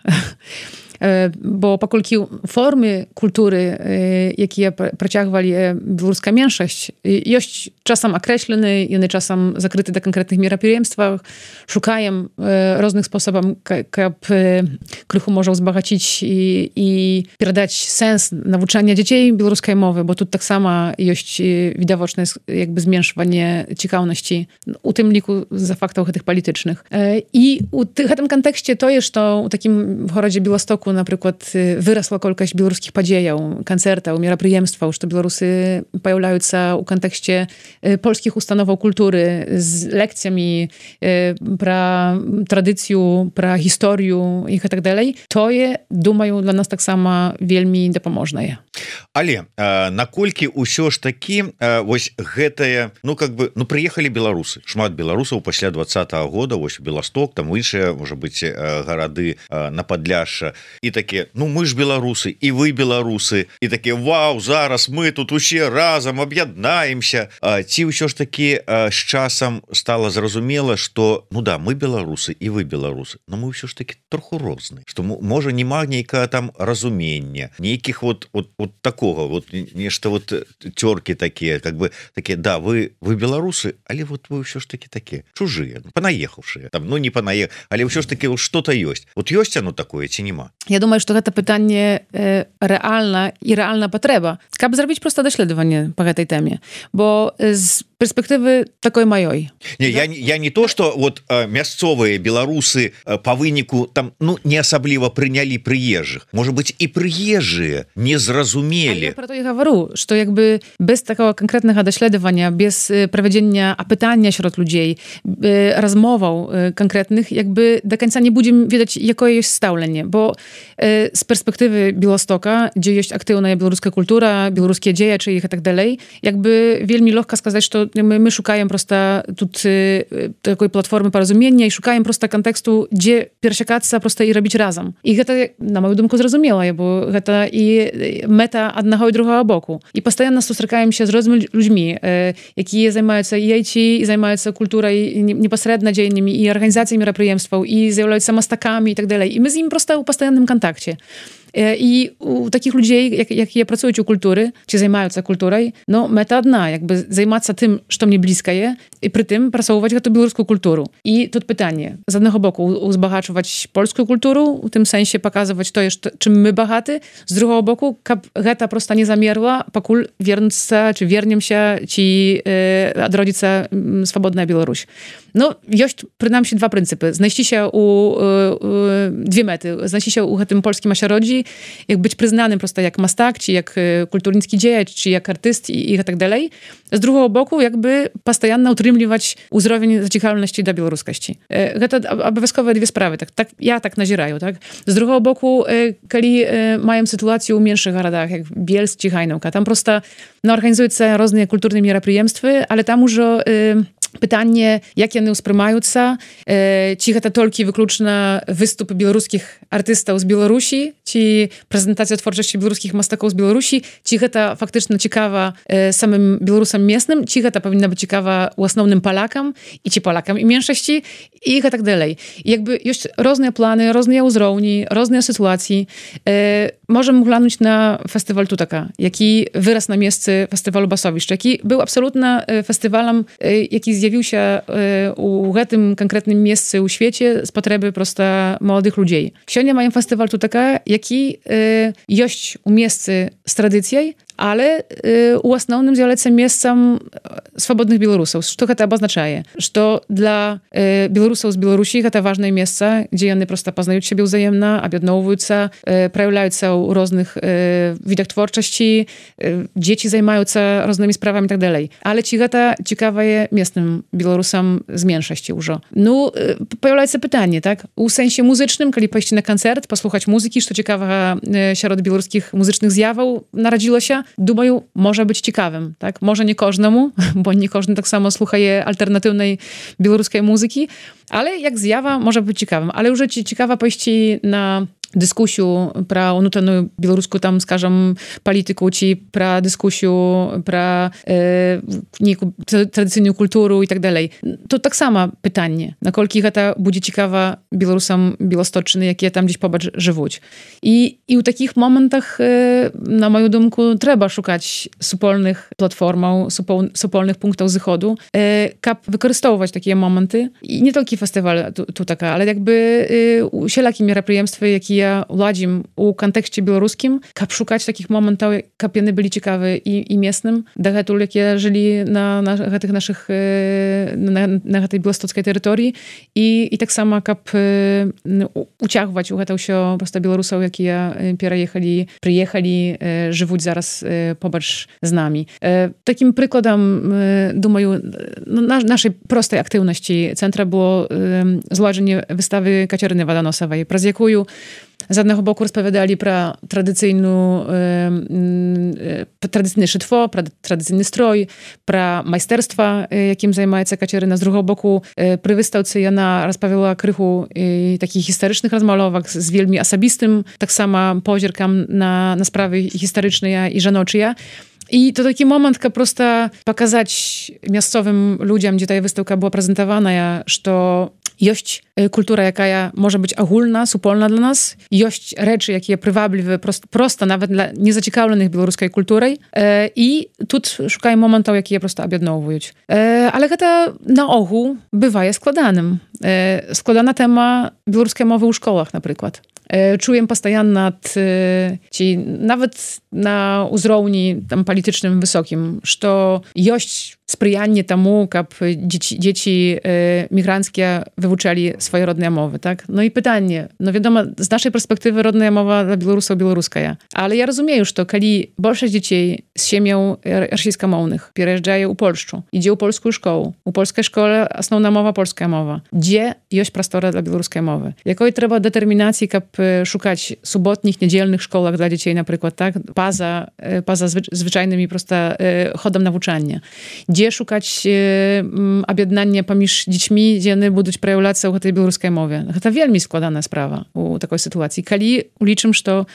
Бо паколькі формы культуры, якія працягвалі беларуская меншасць, ёсць часам акрэслены, яны часам закрыты да канкрэтных мерапрыемствах, шукаем розных спосабаў, каб крыху можа ўзбагаціць і перадаць сэнс навучання дзяцей беларускай мовы, бо тут таксама ёсць відавочнае якби зменшванне цікаўнасці, у тым ліку з-за фактаў гэтых палітычных. І у гэтым кантэксце тое, што ў такім горадзе Беластоку, напрыклад, вырасла колькасць беларускіх падзеяў, канцэртаў, мерапрыемстваў, што беларусы паяўляюцца ў кантэксце польскіх установаў культуры з лекцыямі пра традыцыю, пра гісторыю і гэтак далей. Тое, думаю, для нас таксама вельмі дапаможнае. Але наколькі ўсё ж такі вось гэтае, прыехалі беларусы, шмат беларусаў пасля 20-го года, вось Беласток, там іншыя, можа быць, гарады на Падляшша, і такі, мы ж беларусы, і вы беларусы, і такі, вау, зараз мы тут усе разам аб'яднаемся. Ці ўсё ж такі з часам стала зразумела, што, мы беларусы, і вы беларусы, но мы ўсё ж такі троху розныя, што, можа, нема нейкага там разумення, нейкіх вот такога, нешта цёркі такія, такія, да, вы беларусы, але вы ўсё ж такі такія чужыя, панаехаўшыя, там, не панаехаў, але ўсё ж такі што-то ёсць. Ёсць оно такое ці нема? Я думаю, што гэта пытанне рэальна і рэальна патрэба, каб зрабіць проста даследаванне па гэтай тэме, бо з перспектывы такой маёй. Не, я не то, што мясцовыя беларусы па выніку там, не асабліва прынялі прыезжых. Можа быць, і прыезжыя не зразумелі. Я пра то і гавару, што якби без такого канкрэтнага даследавання, без правядзення апытання сярод людзей, размоваў канкрэтных, якби да канца не будзем ведаць, якое ёсць стаўленне, бо з перспектывы Беластока, дзе ёсць актыўная беларуская культура, беларускія дзеячы і гэтак далей, якби вельмі лёгка сказаць, што мы шукаем просто тут такой платформы паразумення і шукаем просто кантэксту, дзе перасякацца просто і рабіць разам. І гэта, на мою думку, зразумела, бо гэта і мэта аднаго і другого боку. І пастаянна сустракаемся з рознымі людзьмі, якія займаюцца і IT, і займаюцца культурай непасрэдна дзеяннямі, і арганізацыяй мерапрыемстваў, і з'яўляюцца мастакамі і так далей. І мы з ім просто ў пастаянным кантакце. I u takich ludzi, які працують у культуры, ці займаюцца культурай, ну, мэта адна, як бы займацца тым, што мне блізкае, і пры тым прасоўваць гэту беларускую культуру. І тут пытанне. З аднаго боку, узбагачваць польскую культуру, у тым сэнсе паказваць тое, чым мы багаты, з другого боку, каб гэта проста не замерла, пакуль вернуцца, ці вернемся, ці адродзіцца свабодная Беларусь. Ну, ёсць, прынамсі, два прынцыпы. Знайсціся две мэты. Знайсціся ў гэтым польскім асяроддзі, як быць прызнаным проста як мастак, ці як культурніцкі дзеяч, ці як артыст і гэтак далей. З другого боку, якby пастаянна ўтрымліваць узровень зацікаўленасці да беларускасці. Гэта абавязковыя две справы. Так, я так назіраю. Так? З другого боку, калі маем сітуацыю ў меншых гарадах, як Бельск ці Гайнаўка, там проста арганізуюцца розныя культурныя мерапрыемствы, але там ужо pytanie, jak яны ўспрымаюцца, ці гэта толькі выключна выступы беларускіх артыстаў з Беларусі, ці прэзентацыя творчасці беларускіх мастакоў з Беларусі, ці гэта фактычна цікава самым беларусам местным, ці гэта павінна быць цікава ў асноўным палакам, і ці палакам і меншасці, і гэтак далей. Якby ёсць розныя планы, розныя ўзроўні, розныя сітуацыі. Можам глянуць на фестываль Tutaka, які вырас на месцы фестывалю Басовішча, які быў абсалютна фестывалам, які zjawił się u гэтym konkretnym miejscu u świecie z potrzeby prosta młodych ludzi. Сегодня маем фестиваль Tutaka, які ёсць у месцы з традыцыяй, ale u основным з'яўляецца месцам свабодных беларусаў. Што гэта абазначае? Што для беларусаў з Беларусі гэта важнае месца, дзе яны проста пазнаюць сябе ўзаемна, аб'ядноўваюцца, праяўляюцца ў розных відах творчасці, дзеці займаюцца рознымі справамі і так далей. Але ці гэта цікавае местным беларусам з меншасці ўжо? Ну, паяўляецца пытанне, так? У сэнсе музычным, калі пайсці на канцэрт, паслухаць музыкі, што цікавага сярод беларускіх музычных з'яваў нарадзілася, думаю, może być ciekawym, tak? Może nie każdemu, bo nie każdy tak samo słuchaje alternatywnej białoruskiej muzyki, ale jak zjawa może być ciekawym. Ale już ciekawa pójść na дискусію про внутрішню білоруську, там, скажем, політику, чи про дискусію про ніяку традиційну культуру і так далі. Тут так само питання, наколькі гэта буде цікава білорусам Білосточчини, які там десь побач живуть. І у таких моментах, на мою думку, треба шукати супольних платформаў, супольних пунктів зиходу, каб використовувати такі моменти. І не тільки фестиваль Tutaka, ale jakby усілякі мерапрыемствы, які уладзім у кантэксце беларускім, каб шукаць такіх момантаў, каб яны былі цікавы і местным, дагэтуль, якія жылі на гэтых нашых на гэтай беластоцкай тэрыторыі, і таксама каб уцягваць у гэта ўсё проста беларусаў, якія прыехалі, жывуць зараз побач з намі. Такім прыкладам, думаю, нашай простай актыўнасці цэнтра было зладжанне выставы Кацярыны Ваданосавай, праз якую z jednego boku rozpowiadali pro tradycyjne szytwo, pro tradycyjny stroj, pro majsterstwa, jakim zajmuje się Kacieryna. Z drugiego boku przy wystawce ona rozpowiadała krychu takich historycznych rozmalowek z wielmi osobistym, tak samo pozierkam na sprawy historyczne i żenoczyje. I to taki moment, kiedy prosto pokazać miejscowym ludziom, gdzie ta wystawa była prezentowana, że ёсць культура, якая можа быць агульна, супольна для нас, ёсць рэчы, якія прываблівыя проста нават для незацікаўленых беларускай культурай, і тут шукаем момантаў, якія проста аб'ядноўваюць. Але гэта наогул бывае складаным. Складана тэма беларускай мовы ў школах, напрыклад. Czuję постоянно, czy nawet na uzrołni tam politycznym wysokim, że jest sprzyjanie temu, aby dzieci migranckie wyuczali swoje rodne mowy, tak? No i pytanie, no wiadomo, z naszej perspektywy rodna mowa dla Białorusów białoruska, ale ja rozumiem już to, kiedy większość dzieci z ziemią rosyjskomownych przyjeżdżają u Polszczu, idzie u polską szkołę, u polskiej szkole основна mowa polska mowa, gdzie jest prostora dla białoruskiej mowy. Jakiej trzeba determinacji, aby szukać subotnich, niedzielnych szkołach dla dzieci, na przykład, tak? Poza zwyczajnymi prosto chodem nauczania. Gdzie szukać objednania pomiędzy dziećmi, gdzie one będą przejawiać się o tej białoruskiej mowie. To wielmi składana sprawa u takiej sytuacji. Kiedy uliczym, że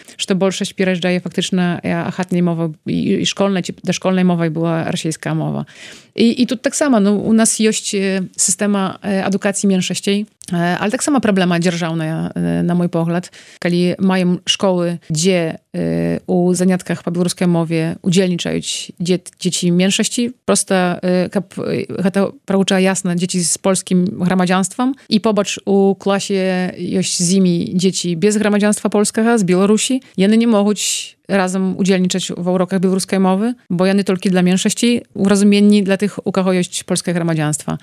większość przyjeżdża faktycznie achatnej mowy i szkolnej, czy do szkolnej mowy była rosyjska mowa. I tu tak samo, no, u nas jest systema edukacji mniejszości, Ale tak sama problema dzierżawna, na mój pogląd, kiedy mają szkoły, gdzie u zaniatkach po białoruskiej mowie udzielniczają dzieci mniejszości, prosto to proucza jasno dzieci z polskim gromadzianstwem i pobacz u klasie jest z nimi dzieci bez gromadzianstwa polskiego, z Białorusi, one nie mogą razem udzielniczać w urokach białoruskiej mowy, bo one tylko dla mniejszości, urozumieni dla tych, u kogo jest polskie gromadzianstwo.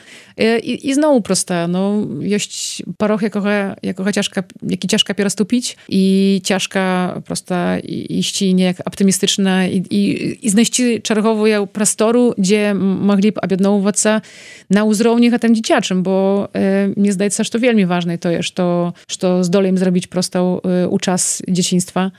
I znowu prosto, no, jest paroch, jaki ciężka pierostupić i ciężka prosto iść niejak optymistyczna i znaleźć czerwową prostoru, gdzie mogliby objednować na uzrowniach a tym dzieciaczym, bo mnie zdaje się, że to wielmi ważne to jest, że zdolejmy zrobić prosto uczas dzieciństwa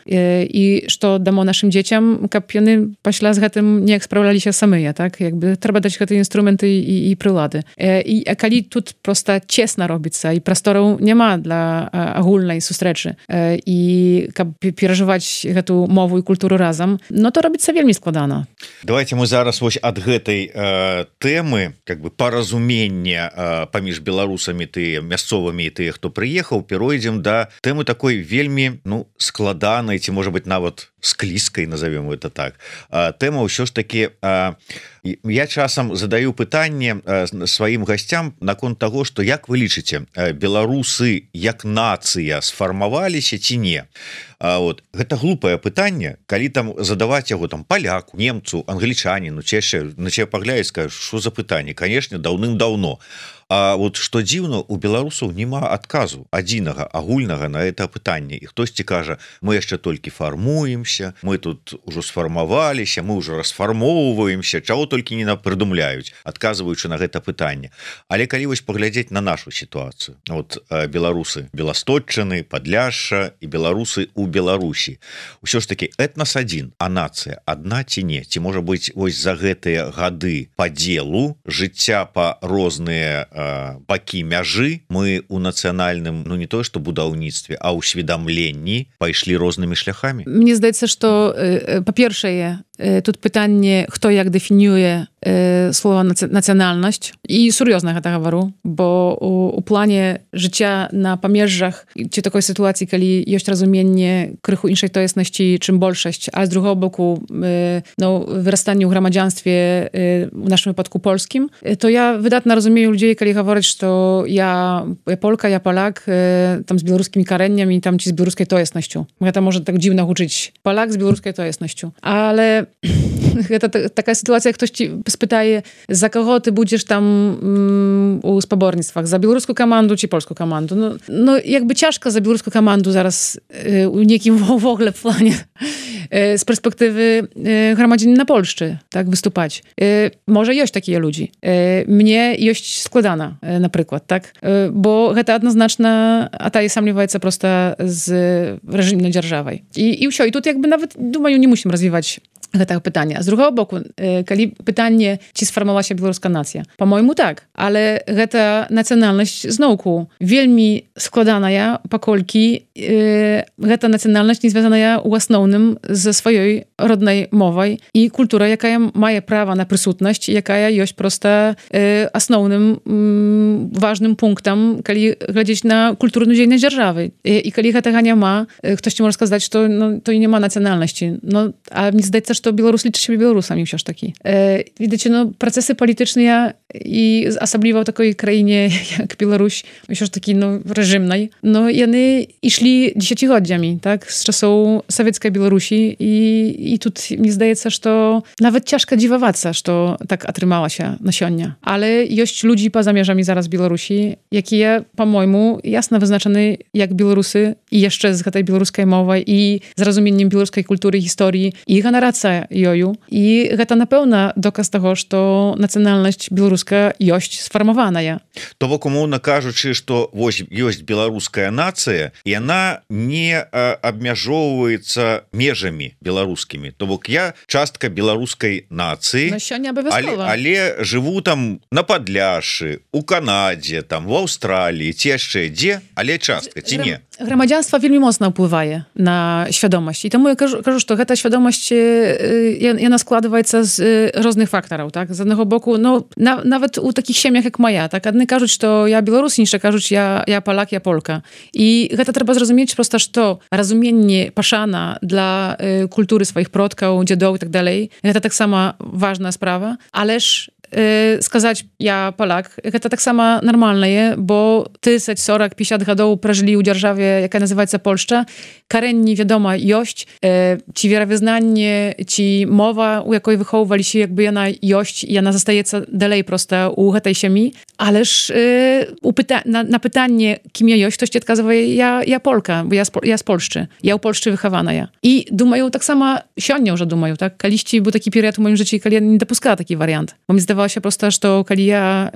i że damo naszym dzieciom, kapiony paśla z tym nie sprawdzali się sami, tak? Jakby trzeba dać te instrumenty i przylady. I kali tu prosto ciasno robić się i prostoru nie ma dla ogólnej sustreczy i przeżywać tę mowę i kulturę razem, no to robić się wielmi składano. Давайте мы зараз вось ад гэтай тэмы как бы паразумення паміж беларусамі тыя мясцовымі і тыя, хто прыехаў, перайдзем да тэмы такой вельмі складанай ці можа быть нават склізкай, назовем это так. Тэма ўсё ж таки я часам задаю пытанне сваім гасцям наконт таго, што як вы лічыце, беларусы як нацыя сфармаваліся ці не? Вот гэта глупае пытанне, калі там задаваць яго там паляку, немцу, англічаніну, ці яшчэ на цябе паглядзець, скажаш, што за пытанне, канешне, даўным-даўно. А вот што дзіўна, у беларусаў няма адказу адзінага агульнага на это пытанне. І хтосьці кажа, мы яшчэ толькі фармуемся, мы тут ужо сфармаваліся, мы ўжо расфармоўваемся, чаго толькі не прыдумляюць, адказваючы на гэта пытанне. Але калі вось паглядзець на нашу сітуацыю, вот беларусы Беластотчыны, Падляшша і беларусы у Беларусі, усё ж таки этнас адзін, а нацыя адна ці не? Ці можа быць вось за гэтыя гады падзелу жыцця па розныя бакі мяжы мы у нацыянальным, ну не тое што будаўніцтве, а ўсведамленні пайшлі рознымі шляхамі? Мне здаецца, што па-першае, тут pytanie, kto jak definiuje słowo nacjonalność i serioznie to говорю, bo u planie życia na pomierzach, czy takiej sytuacji, kiedy jest rozumienie krychu innej tojesności, czym bolszość, a z drugiego boku no, wyrastanie w gromadzianstwie w naszym wypadku polskim, to ja wydatnie rozumiem ludzi, kiedy mówią, że ja Polka, ja Polak, tam z białoruskimi koreniami, tam ci z białoruskiej tojesnością. To może tak dziwno uczyć. Polak z białoruskiej tojesnością. Ale taka sytuacja, jak ktoś ci spytaje, za kogo ty będziesz tam u spobornictwach, za białoruską komandu czy polską komandu? No jakby ciężko za białoruską komandu zaraz u niekim w ogóle w planie z perspektywy gromadzenia na Polszczy, tak, wystupać. Może jest takie ludzi. Mnie jest składana, na przykład, tak? Bo to jednoznaczna, a ta jest sam nie prosto z reżimnej dzierżawej. I wsio. I tu jakby nawet, думаю, nie musimy rozwijać tego pytania. Z drugiego boku, kiedy pytanie, czy sformowała się białoruska nacja? Po-mojemu tak, ale ta nacjonalność znowu wielmi składana ja, pokolki, ta nacjonalność nie związana ja основnym ze swojej rodnej mową i kulturą, jaka ma prawa na przysutność, jaka jest prosto основnym, ważnym punktem, kiedy gledzieć na kulturną dzielność dzierżawy. I kiedy tego nie ma, ktoś ci może сказать, że to nie ma nacjonalności. No, a mi zdaje się, że to Białorus liczy się Białorusami wciąż taki. Widzicie, no, procesy polityczne i особливо w takiej krainie jak Białoruś, wciąż takiej, no, reżimnej, no, i one szli dziesięcioletniami, tak, z czasów sowieckiej Białorusi i tu mi zdaje się, że to nawet ciężko dziwować, że to tak otrzymała się nasionia. Ale jest ludzi poza mierzami zaraz Białorusi, jakie, po-mojemu, jasno wyznaczone jak Białorusy i jeszcze z tej białoruskiej mowy i z rozumieniem białoruskiej kultury i historii i generacja joju. I to na pewno dokaz tego, że to nacjonalność białoruska jest sformowana. То бок, умоўна кажучы, што вось ёсць беларуская нацыя, і яна не абмяжоўваецца межамі беларускімі. То бок я частка беларускай нацыі, але жыву там на Падляшшы, у Канадзе, там в Аўстраліі, ці яшчэ дзе, але частка, ці не? Грамадзянства вельмі моцна ўплывае на свядомасць. І таму я кажу, што гэта свядомасць яна складваецца з розных фактараў, так? З аднаго боку, нават у такіх сем'ях як моя, так? Адны кажуць, што я беларус, іншыя кажуць, я палак, я полка. І гэта трэба зразумець проста, што разуменне пашана для культуры сваіх продкаў, дзедоў і так далей, гэта таксама важная справа, але ж сказаць я палак, гэта таксама нармальнае, бо 30, 40, 50 гадоў пражылі ў дзяржаве, якая называецца Польшча, карэнні, вядома, ёсць, ці веравызнанне, ці мова, у якой выхоўваліся, якby яна ёсць, яна застаецца далей проста ў гэтай сям'і, але ж на пытанне, кім я ёсць, ktoś адказвае, я полка, бо я з Польшчы, я ў Польшчы выхаваная. І думаю, таксама сёння ўжо думаю, так, калісьці быў такі перыяд у маім жыцці, калі я не дапускала такі варыянт. Бо мне здавалася проста, што калі я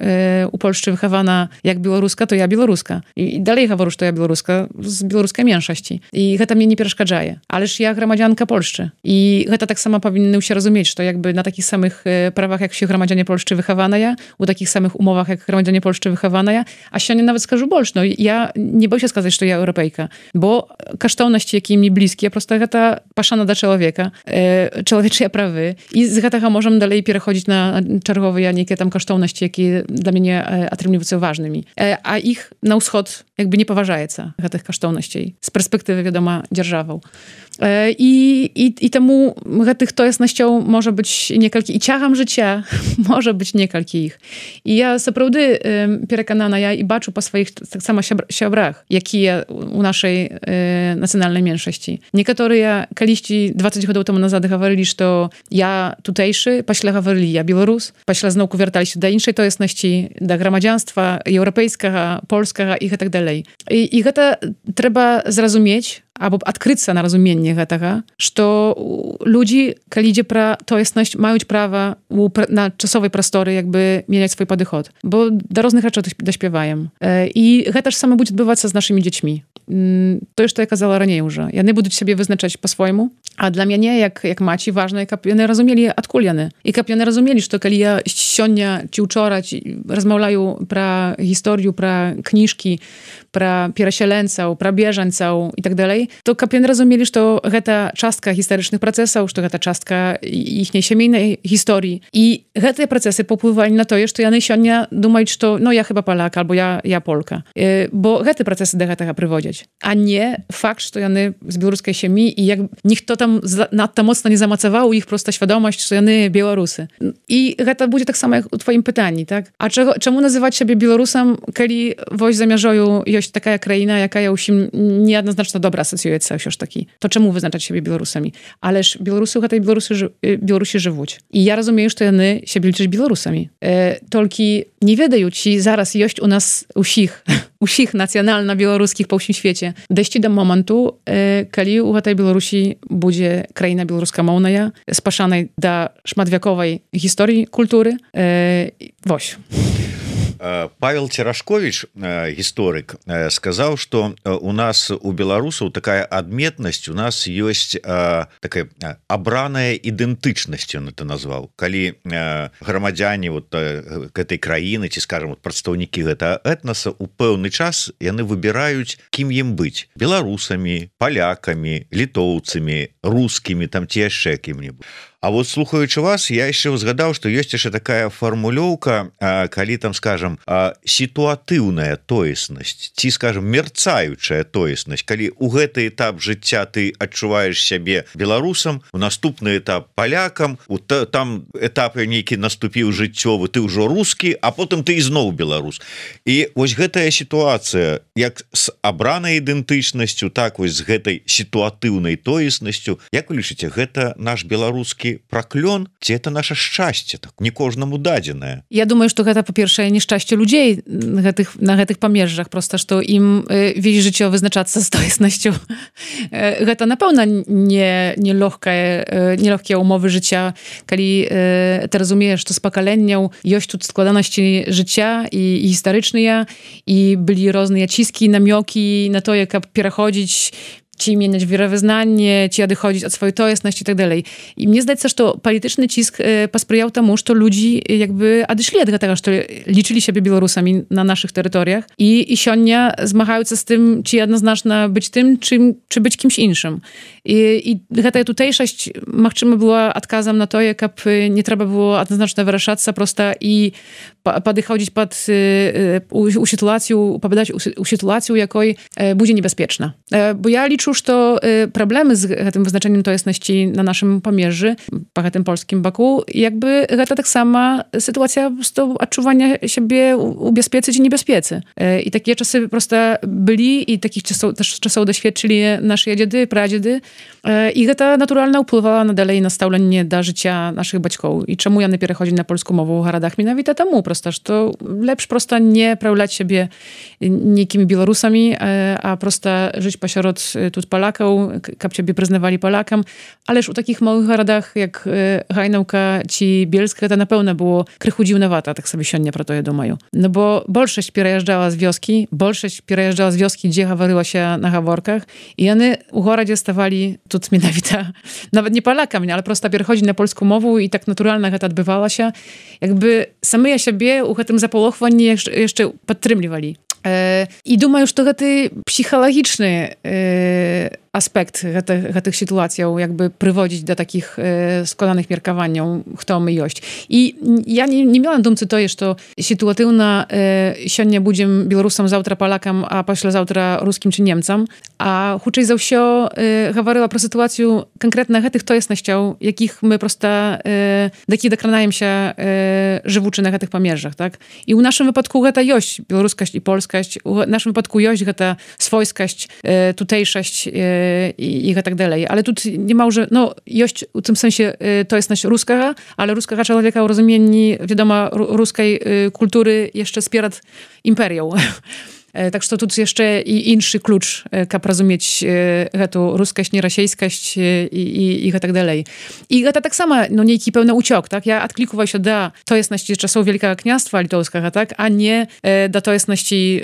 у Польшчы выхавана як беларуска, то я беларуска. І далей гавару, што я беларуска з беларускай меншасці. І гэта мне не перашкаджае. Але ж я грамадзянка Польшчы. І гэта таксама павінны ўсе разумець, што якby на такіх самых правах, як усе грамадзяне Польшчы выхаваная, у такіх самых умовах, як грамадзяне Польшчы выхаваная, а сёння нават скажу больш, я не боюся сказаць, што я еўрапейка, бо каштоўнасці, якія мне блізкія, проста гэта пашана да чалавека, чалавечыя правы. І з гэтага можам далей пераходзіць на чарговыя нейкія там каштоўнасці, якія для мяне атрымліваюцца важнымі. А іх на ўсход якby не паважаецца, гэтых каштоўнасцей, з перспектывы, вядома, дзяржаваў. І таму гэтых тоеснасцяў можа быць некалькі, і цягам жыцця можа быць некалькі іх. І я сапраўды перакананая і бачу па сваіх таксама сябрах, якія у нашай нацыянальнай меншасці. Некаторыя калісьці 20 гадоў таму назад гаварылі, што я тутэйшы, пасля гаварылі я беларус, пасля зноўку вярталіся да іншай тоеснасці, да грамадзянства еўрапейскага, польскага і гэтак далей. І гэта трэба зразумець, або адкрыцца на разуменне гэтага, што людзі, калі ідзе пра тоеснасць, маюць права на часовай прасторы якby мяняць свой падыход. Бо да розных рэчаў даспяваем. І гэта ж саме будзе адбывацца з нашымі дзецьмі. Тое, што я казала раней ўжо. Яны будуць сябе вызначаць па-свойму, а для мяне, як маці, важна, каб яны разумелі, адкуль яны. І каб яны разумелі, што калі я сёння ці ўчора размаўляю пра гісторыю, пра кніжкі, пра перасяленцаў, пра бежанцаў і так далей, то каб яны разумелі, што гэта частка гістарычных працэсаў, што гэта частка іхняй сямейнай гісторыі. І гэтыя працэсы паўплывалі на тое, што яны сёння думаюць, што я хіба палак, альбо я полка. Бо гэты працэсы да гэтага прыводзяць. А не факт, што яны з беларускай сям'і, і як ніхто там надта моцна не замацаваў у іх проста свядомасць, што яны беларусы. І гэта будзе таксама у тваім пытанні, так? А чаму называць сябе беларусам, калі вось за мяжою ёсць такая краіна, якая ўсім неадназначна добра асацыюецца ўсё ж такі. То чаму вызначаць сябе беларусамі? Але ж беларусы ў гэтай Беларусі жывуць. І я разумею, што яны сябе лічаць беларусамі. Толькі не ведаю, ці зараз ёсць у нас усіх нацыянальна-беларускіх па ўсім свеце дайсці да моманту, калі ў гэтай Беларусі будзе краіна беларускамоўная, спашанай да шматвяковай гісторыі культуры. Вось. Павел Церашкович, гісторык, сказаў, што у нас у беларусаў такая адметнасць, у нас ёсць такая абраная ідэнтычнасць, ён это назваў. Калі грамадзяне гэтай краіны, ці, скажам, прадстаўнікі гэтага этнаса, у пэўны час яны выбіраюць, кім ім быць: беларусамі, палякамі, літоўцамі, рускімі, там ці яшчэ кім-небудзь. А вот слухаючы вас, я яшчэ ўзгадаў, што ёсць яшчэ такая фармулёўка, калі там, скажам, сітуатыўная тоеснасць, ці, скажам, мерцаючая тоеснасць. Калі ў гэты этап жыцця ты адчуваеш сябе беларусам, у наступны этап палякам, там этап нейкі наступіў жыццёвы, ты ўжо рускі, а потым ты ізноў беларус. І вось гэтая сітуацыя, як з абранай ідэнтычнасцю, так вось з гэтай сітуатыўнай тоеснасцю, як вы лічыце, гэта наш беларускі праклён, ці это наша шчасце, так не кожнаму дадзенае? Я думаю, што гэта, па-першае, нешчасце людзей на гэтых памежжах, проста што ім весь жыццё вызначацца з тоеснасцю. Гэта, напэўна, не лёгкія ўмовы жыцця, калі ты разумееш, што з пакаленняў ёсць тут складанасці жыцця і гістарычныя, і былі розныя ціскі, намёкі на тое, каб пераходзіць ci mieniać wierowyznanie, ci odchodzić od swojej tojesności i tak dalej. I mnie zdaje się, że to polityczny cisk posprzyjał temu, że ludzi jakby odeszli od tego, że liczyli siebie Białorusami na naszych terytoriach i sionia zmachają się z tym, czy jednoznacznie być tym, czy być kimś innym. I ta tutejszość machczyma była odkazem na to, jak nie trzeba było jednoznacznie wyrażać prosto i podchodzić pod sytuację, jakoj będzie niebezpieczna. Bo ja liczę, że to problemy z tym wyznaczeniem tojesności na naszym pomierzy, po tym polskim boku, jakby to tak sama sytuacja po prostu odczuwania siebie ubezpieczyć i niebezpiecy. I takie czasy po prostu byli i takich czasów doświadczyli nasze dziady, pradziedy. I to naturalnie wpływała dalej na stałlenie do życia naszych baćków. I czemu ja nie przechodzi na polską mowę w Haradach? Mianowicie temu prosto, że to lepsze prosto nie prawiać siebie niekimi Białorusami, a prosto żyć pośród тут Polaków, jak ciebie przyznawali Polakom. Ależ u takich małych Haradach jak Hajnałka czy Bielska to na pewno było krychu dziwnowata, tak sobie sionie pro to je domają. No bo bolszość przejeżdżała z wioski, gdzie hawaryła się na haworkach i one u Haradzie stawali тут mianowicie, nawet nie Polakami, ale prosto przechodzi na polską mowę i tak naturalnie to odbywała się. Jakby same siebie u tym zapolochwani jeszcze podtrzymywali. I думаю, że to psychologiczny aspekt tych sytuacji jakby prowadzić do takich składanych mierkowań, kto my jość. I ja nie miałam dumcy to jest, że sytuatywna sionie budziem Białorusom, zawtra Polakom, a pośle zawtra Ruskim czy Niemcom, a huczej za wsio gawaryła pro sytuację konkretnych tych tojesnością, jakich my prosto taki dokranajem się żywuczy na tych pomierzach, tak? I u naszym wypadku ta jość, białoruskość i polskość, u naszym wypadku jość ta swojskość, tutejszość i tak dalej. Ale tu nie ma, że no, jość w tym sensie to jest nasz ruska, ale ruska człowieka o rozumieniu, wiadomo, ruskiej kultury jeszcze spierad imperium. Tak że to tu jeszcze i inny klucz, jak rozumieć tu ruskość, nierasiejskość i tak dalej. I to tak samo, no niejaki pełny uciok, tak? Ja odklikuję się do tojesności czasów Wielkiego Kniastwa Litowskiego, tak? A nie do tojesności,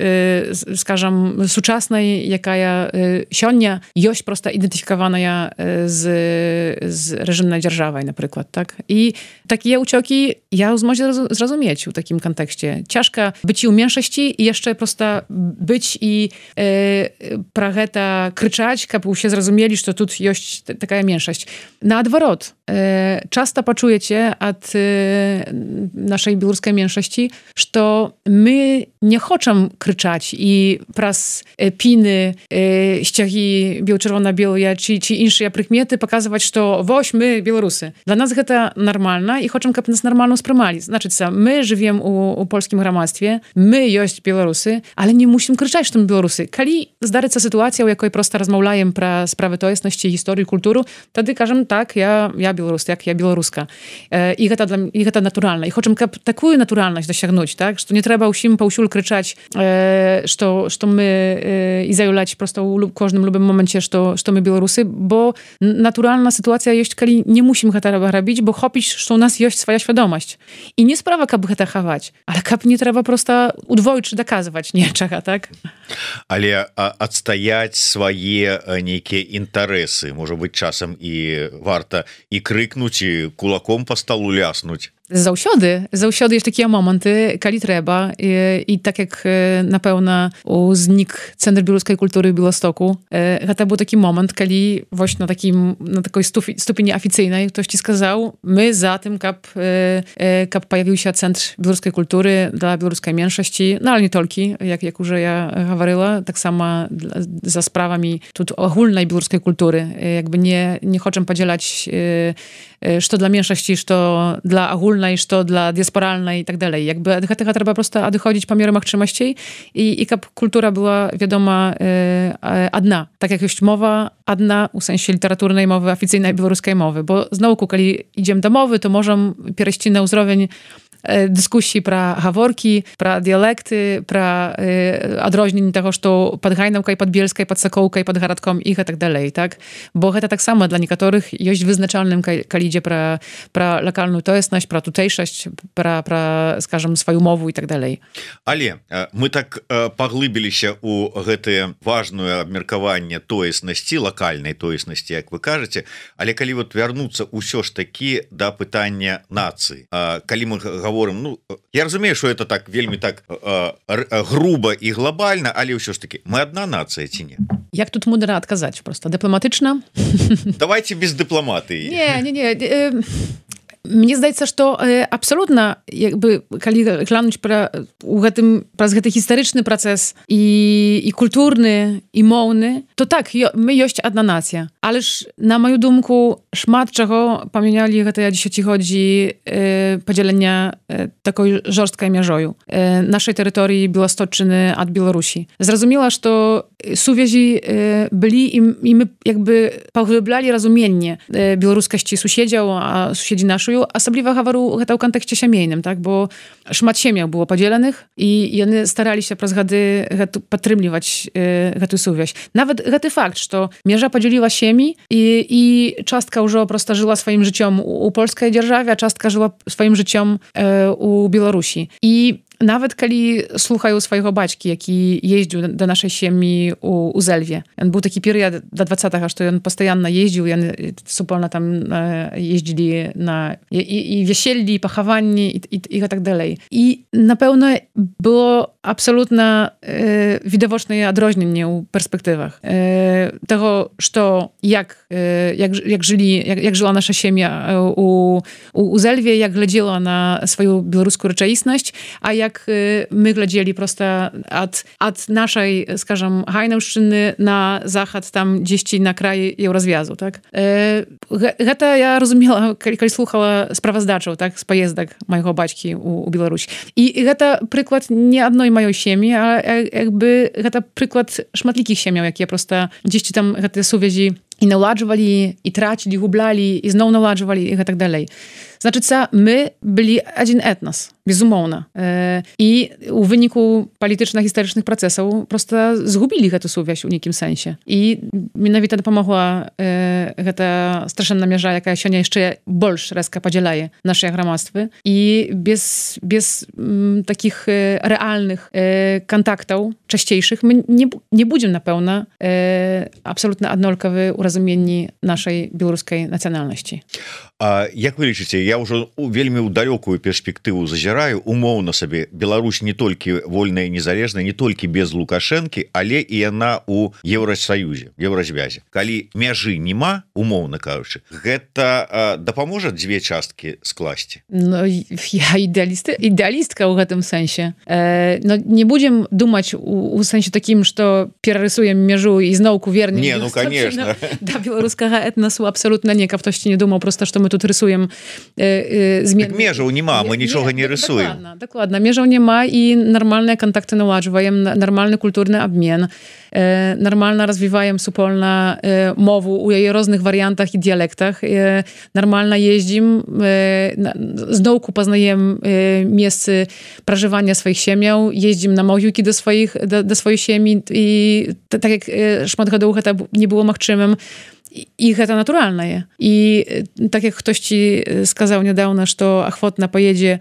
skażem, współczesnej, jaka ja sionia, jość prosta identyfikowana z reżimnej dzierżawej na przykład, tak? I takie ucioki ja może zrozumieć w takim kontekście. Ciężko być i u mniejszości i jeszcze prosta być i prageta kryczać, aby się zrozumieli, że tu jest taka mniejszość. Na odwrót, często poczujecie od naszej białoruskiej mniejszości, że my nie chcemy kryczać i pras piny, ściagi biało-czerwona-białe czy inne prykmiety pokazywać, że woś my Białorusy. Dla nas to normalne i chcemy, aby nas normalnie sprawali. Znaczy, my żyjemy u polskim gramactwie, my jest Białorusy, ale nie musimy kryczeć, że to Białorusy. Kali zdaryca sytuacja, u jakiej prosto rozmawiajem pra sprawy tojesności, historii, kultury, wtedy każemy tak, ja Białorus, jak ja Białoruska. I to naturalne. I chcemy taką naturalność dosięgnąć, tak? Że to nie trzeba usimy po usiul kryczeć, że my i zajulać prosto w każdym lubym momencie, że my Białorusy, bo naturalna sytuacja jest, kali nie musimy tego robić, bo chopić, że u nas jest swoja świadomość. I nie sprawa, aby to chować, ale kap nie trzeba prosto udwoić czy dokazywać niczego, tak? Але адстаяць свае нейкія інтарэсы, можа быць, часам і варта і крыкнуць, і кулаком па сталу ляснуць. Zausiody jest takie momenty, kali trzeba i tak jak na pewno znik Centrum Białoruskiej Kultury w Białymstoku, to był taki moment, kali właśnie na takiej stopni oficyjnej ktoś ci skazał, my za tym, kap pojawił się Centrum Białoruskiej Kultury dla białoruskiej mniejszości, no ale nie tylko, jak już ja mówiła, tak samo za sprawami ogólnej białoruskiej kultury, jakby nie chcę podzielać, że to dla mniejszości, że to dla ogólnej, że to dla diasporalnej i tak dalej. Jakby tego trzeba po prostu odchodzić po mierach czymności i kultura była wiadoma adna. Tak jak jest mowa adna, w sensie literaturnej mowy, oficyjnej białoruskiej mowy. Bo znowu, kiedy idziemy do mowy, to możemy przejść na uzrowień дыскусій пра гаворкі, пра дыялекты, пра адрозненне таго, што пад Гайнаўкай, пад Бельскай, пад Сакоўкай, пад гарадком і гэтак далей, так? Бо гэта таксама для некаторых ёсць вызначальным, калі ідзе пра лакальную тоеснасць, пра тутэйшасць, пра, скажам, сваю мову і так далей. Але мы так паглыбіліся ў гэтае важное абмеркаванне тоеснасці, лакальнай тоеснасці, як вы кажаце, але калі вот вярнуцца ўсё ж такі да пытання нацыі, калі мы говорим, ну, я разумею, что это так вельмі так грубо і глобальна, але ўсё ж таки мы одна нацыя ці не? Як тут мудра адказаць просто дыпламатычна? Давайте без дыпламатыі. Не. Мне здаецца, што абсалютна калі глянуць праз гэты гістарычны працэс і культурны і моўны, то так, мы ёсць адна нацыя. Але ж, на маю думку, шмат чаго памянялі гэтыя дзесяцігоддзі падзялення такой жорсткай мяжою нашай тэрыторыі Беласточчыны ад Беларусі. Зразумела, што сувязі былі і мы паглыблялі разуменне беларускасці суседзяў, а суседзі нашую, асабліва гавару гэта ў кантэксце сямейным, так, бо шмат сем'яў было падзеленых і яны стараліся праз гады падтрымліваць гэтую сувязь. Нават гэты факт, што мяжа падзяліла сем'і і частка ўжо проста жыла сваім жыццём у польскай дзяржаве, а частка жыла сваім жыццём у Беларусі. І нават калі слухаю свайго бацькі, які ездзіў да нашай сем'і у Зэльве. Ён быў такі перыяд да 20-га, што ён пастаянна ездзіў, яны супольна там ездзілі на і вяселлі, і пахаванні і гэтак далей. І, напэўна, было абсалютна відавочнае адрозненне ў перспектывах таго, што як жыла наша сем'я у Зэльве, як глядзела на сваю беларускую рэчаіснасць, а як my глядзелі просто ад нашай, скажам, Гайнаўшчыны на захад, там дзесьці на краі еўразвязу, так? Гэта я разумела, калі слухала справаздачаў, так, з паездак майго бацькі ў Беларусь. І гэта прыклад не адной маёй сем'і, а гэта прыклад шматлікіх сем'яў, якія проста дзесьці там гэтыя сувязі і наладжвалі, і трацілі, гублялі, і зноў наладжвалі, і гэтак далей. Значыцца, мы былі адзін этнас, безумоўна. І ў выніку палітычна-гістарычных працэсаў проста згубілі гэту сувязь у нейкім сэнсе. І менавіта дапамагла гэта страшэнная мяжа, якая сёння яшчэ больш рэзка падзяляе нашыя грамадствы. І без такіх рэальных кантактаў часцейшых мы не будзем, напэўна, абсалютна аднолькавы ў разуменні нашай беларускай нацыянальнасці. А як вы лічыце, я ўжо вельмі ў далёкую перспектыву зазіраю, умоўна сабе, Беларусь не толькі вольная і незалежная, не толькі без Лукашэнкі, але і яна ў Еўрасаюзе, Еўразвязе. Калі мяжы няма, умоўна кажучы, гэта дапаможа дзве часткі скласці? Ну, я ідэалістка ў гэтым сэнсе. Но не будзем думаць у сэнсе такім, што перарысуем мяжу і зноўку вернем. Не, ну, конечно. Да беларускага этнасу абсалютна не, каб хтосьці не думаў проста, што мы тут рисуем змены. Так межаў няма, мы нічога не рисуем. Дакладна, межаў няма і нармальныя кантакты наладжваем, нармальны культурны абмен, нармальна развіваем супольна мову у яе розных варыянтах і дыялектах, нармальна ездзім, зноўку пазнаем месцы пражывання сваіх сем'яў, ездзім на могілкі да сваёй сем'і, і так як шмат гадоў гэта не было магчымым, і гэта натуральнае. І так як хтосьці сказаў нядаўна, што ахвотна паедзе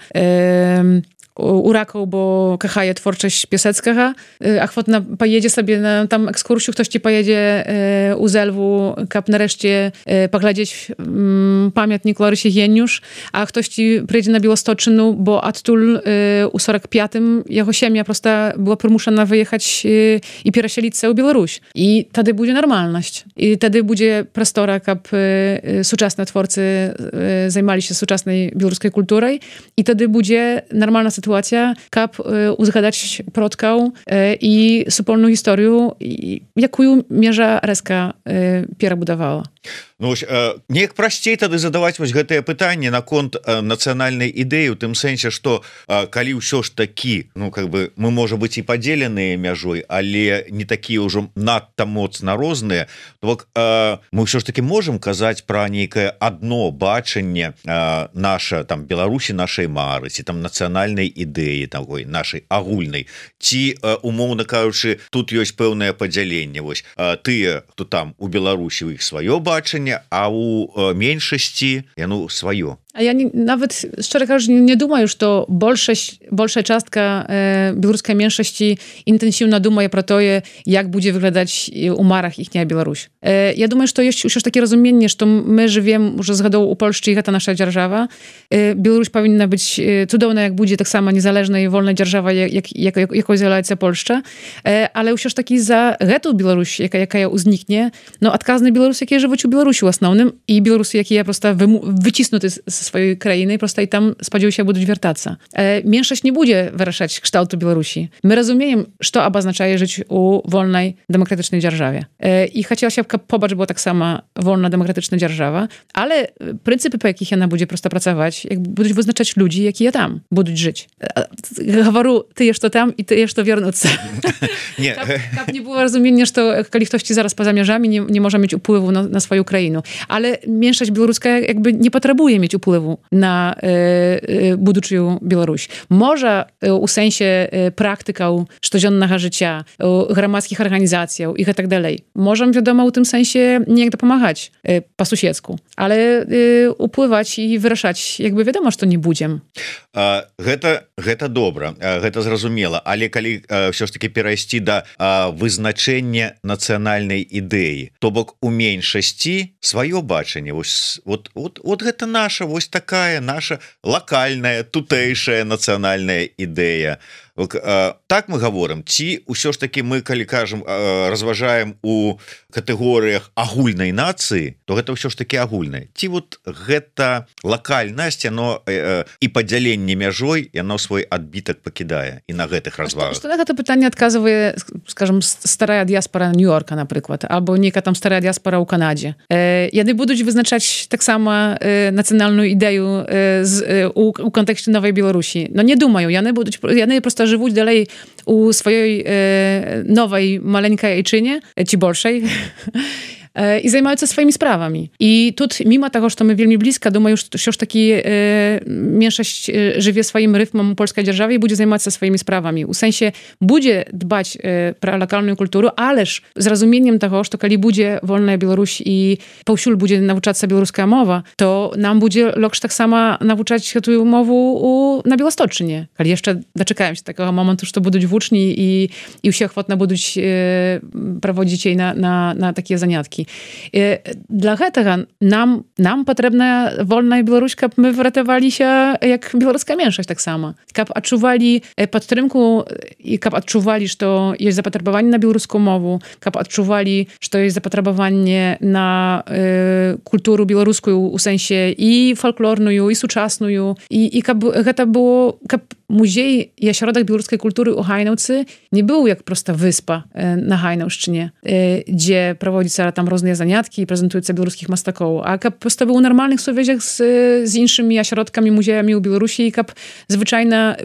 у Ракаў, бо кахае творчасць Пісецкага, ахвотна паедзе сабе на там экскурсію, хтосьці паедзе у Зэльву, каб нарэшце паглядзець памятнік Ларысе Генюш, а хтосьці прыйдзе на Беласточчыну, бо адтуль у 45-м яго сям'я проста была прымушана выехаць і перасяліцца ў Беларусь. І тады будзе нармальнасць. І тады будзе прастора, каб сучасныя творцы займаліся сучаснай беларускай культурай, і тады будзе нармальна сітуацыя, каб узгадаць продкаў і супольную гісторыю, якую межа рэзка перабудавала. Ну, неяк прасцей тады задаваць вось гэтае пытанне наконт нацыянальнай ідэі, у тым сэнсе, што калі ўсё ж такі, ну как бы мы можа быць і падзеленыя мяжой, але не такія ўжо надта моцна розныя, то бок мы ўсё ж таки можам казаць пра нейкае адно бачанне наша там Беларусі, нашай мары, ці там нацыянальнай ідэі такой нашай агульнай, ці умоўна кажучы, тут ёсць пэўнае падзяленне. Вось тыя, хто там у Беларусі, у іх сваё бачанне, а у меншасці яно сваё. А я nawet, szczerze кажучи, nie думаю, что большая частка беларускай меншасці інтэнсіўна думае про тое, як будзе выглядаць у марах іхняя Беларусь. Я думаю, что ёсць ўсё ж такі разуменне, што мы жывем уже з гадоў у Польшчы, і гэта наша дзяржава. Беларусь павінна быць цудоўна, як будзе таксама незалежная і вольная дзяржава, якой з'яўляецца Польшча. Але ўсё ж такі за гэту Беларусь, якая ўзнікне, no адказны беларусы, якія жывуць у Беларусі ў асноўным, і беларусы, якія проста выціснуты ze swojej krainy, prosto i tam spodziewają się będą wracać. Mniejszość nie będzie wyraszać kształtu Białorusi. My rozumiemy, co oznacza żyć u wolnej, demokratycznej dzierżawie. I chciała się popatrz, była tak sama wolna, demokratyczna dzierżawa, ale pryncypy, po jakich ona będzie prosto pracować, jak będą wyznaczać ludzi, jakie ja tam będą żyć. Говорю, ty jesz to tam i ty jesz to wiernuć. Nie. Tak nie było rozumienia, że kiedy ktoś ci zaraz poza mierzami nie może mieć wpływu na swoją krainę. Ale mniejszość białoruska jakby nie potrzebuje mieć wpływu na будучую Беларусь. Можа у сэнсе практыкаў штодзённага жыцця, грамадскіх арганізацыяў і гэтак далей. Можам, вядома, у тым сэнсе неяк дапамагаць па-суседску, але уплываць і вырашаць, як бы вядома, што не будзем. Гэта добра, гэта зразумела, але калі ўсё ж таки перайсці да вызначэння нацыянальнай ідэі, то бок у меншасці сваё бачанне, вот гэта наша, вось такая наша локальная, тутэйшая нацыянальная ідэя. Так мы говорим, ці ўсё ж таки мы, калі кажам, разважаем у катэгорыях агульнай нацыі, то гэта ўсё ж таки агульнае. Ці вот гэта локальнасць, яно і падзяленне мяжой, яно свой адбітак пакідае і на гэтых развагах. Што на гэта пытанне адказвае, скажем, старая дыяспара Нью-Йорка, напрыклад, або нейка там старая дыяспара ў Канадзе. Яны будуць вызначаць таксама нацыянальную ідэю у кантэксце новай Беларусі. Но не думаю, яны проста жывуць далей у сваёй новай маленькай айчыне, ці большай, i zajmują się swoimi sprawami. I tu, mimo tego, że my wielmi blisko, думаю, że już taki mniejszość żyje swoim rytmem polskiej dzierżawy i będzie zajmować się swoimi sprawami. W sensie, będzie dbać pro lokalną kulturę, ależ z rozumieniem tego, że kiedy będzie wolna Białoruś i powsiul będzie nauczać się białoruska mowa, to nam będzie loksz tak samo nauczać tę mowę na Białostoczynie. Ale jeszcze doczekałem się takiego momentu, że to będą włóczni i wszyscy ochotno będą prowadzić jej na takie zaniatki. Dla гэтага нам патрэбная вольная Беларусь, каб мы выратавалі się як беларуская меншасць таксама. Каб адчувалі падтрымку і каб адчувалі, што ёсць запатрабаванне на беларускую мову, каб адчувалі, што ёсць запатрабаванне на культуру беларускую у сэнсе і фальклорную, і сучасную, і каб гэта было, каб музей і асяродак беларускай культуры ў Гайнаўцы не быў як проста wyspа на Гайнаўшчыне, дзе праводзіцца там różne zaniatki i prezentujące białoruskich mastakoł, a kap prosto był w normalnych słowieciach z innymi ośrodkami, muzeami u Białorusi i kap zwyczajnie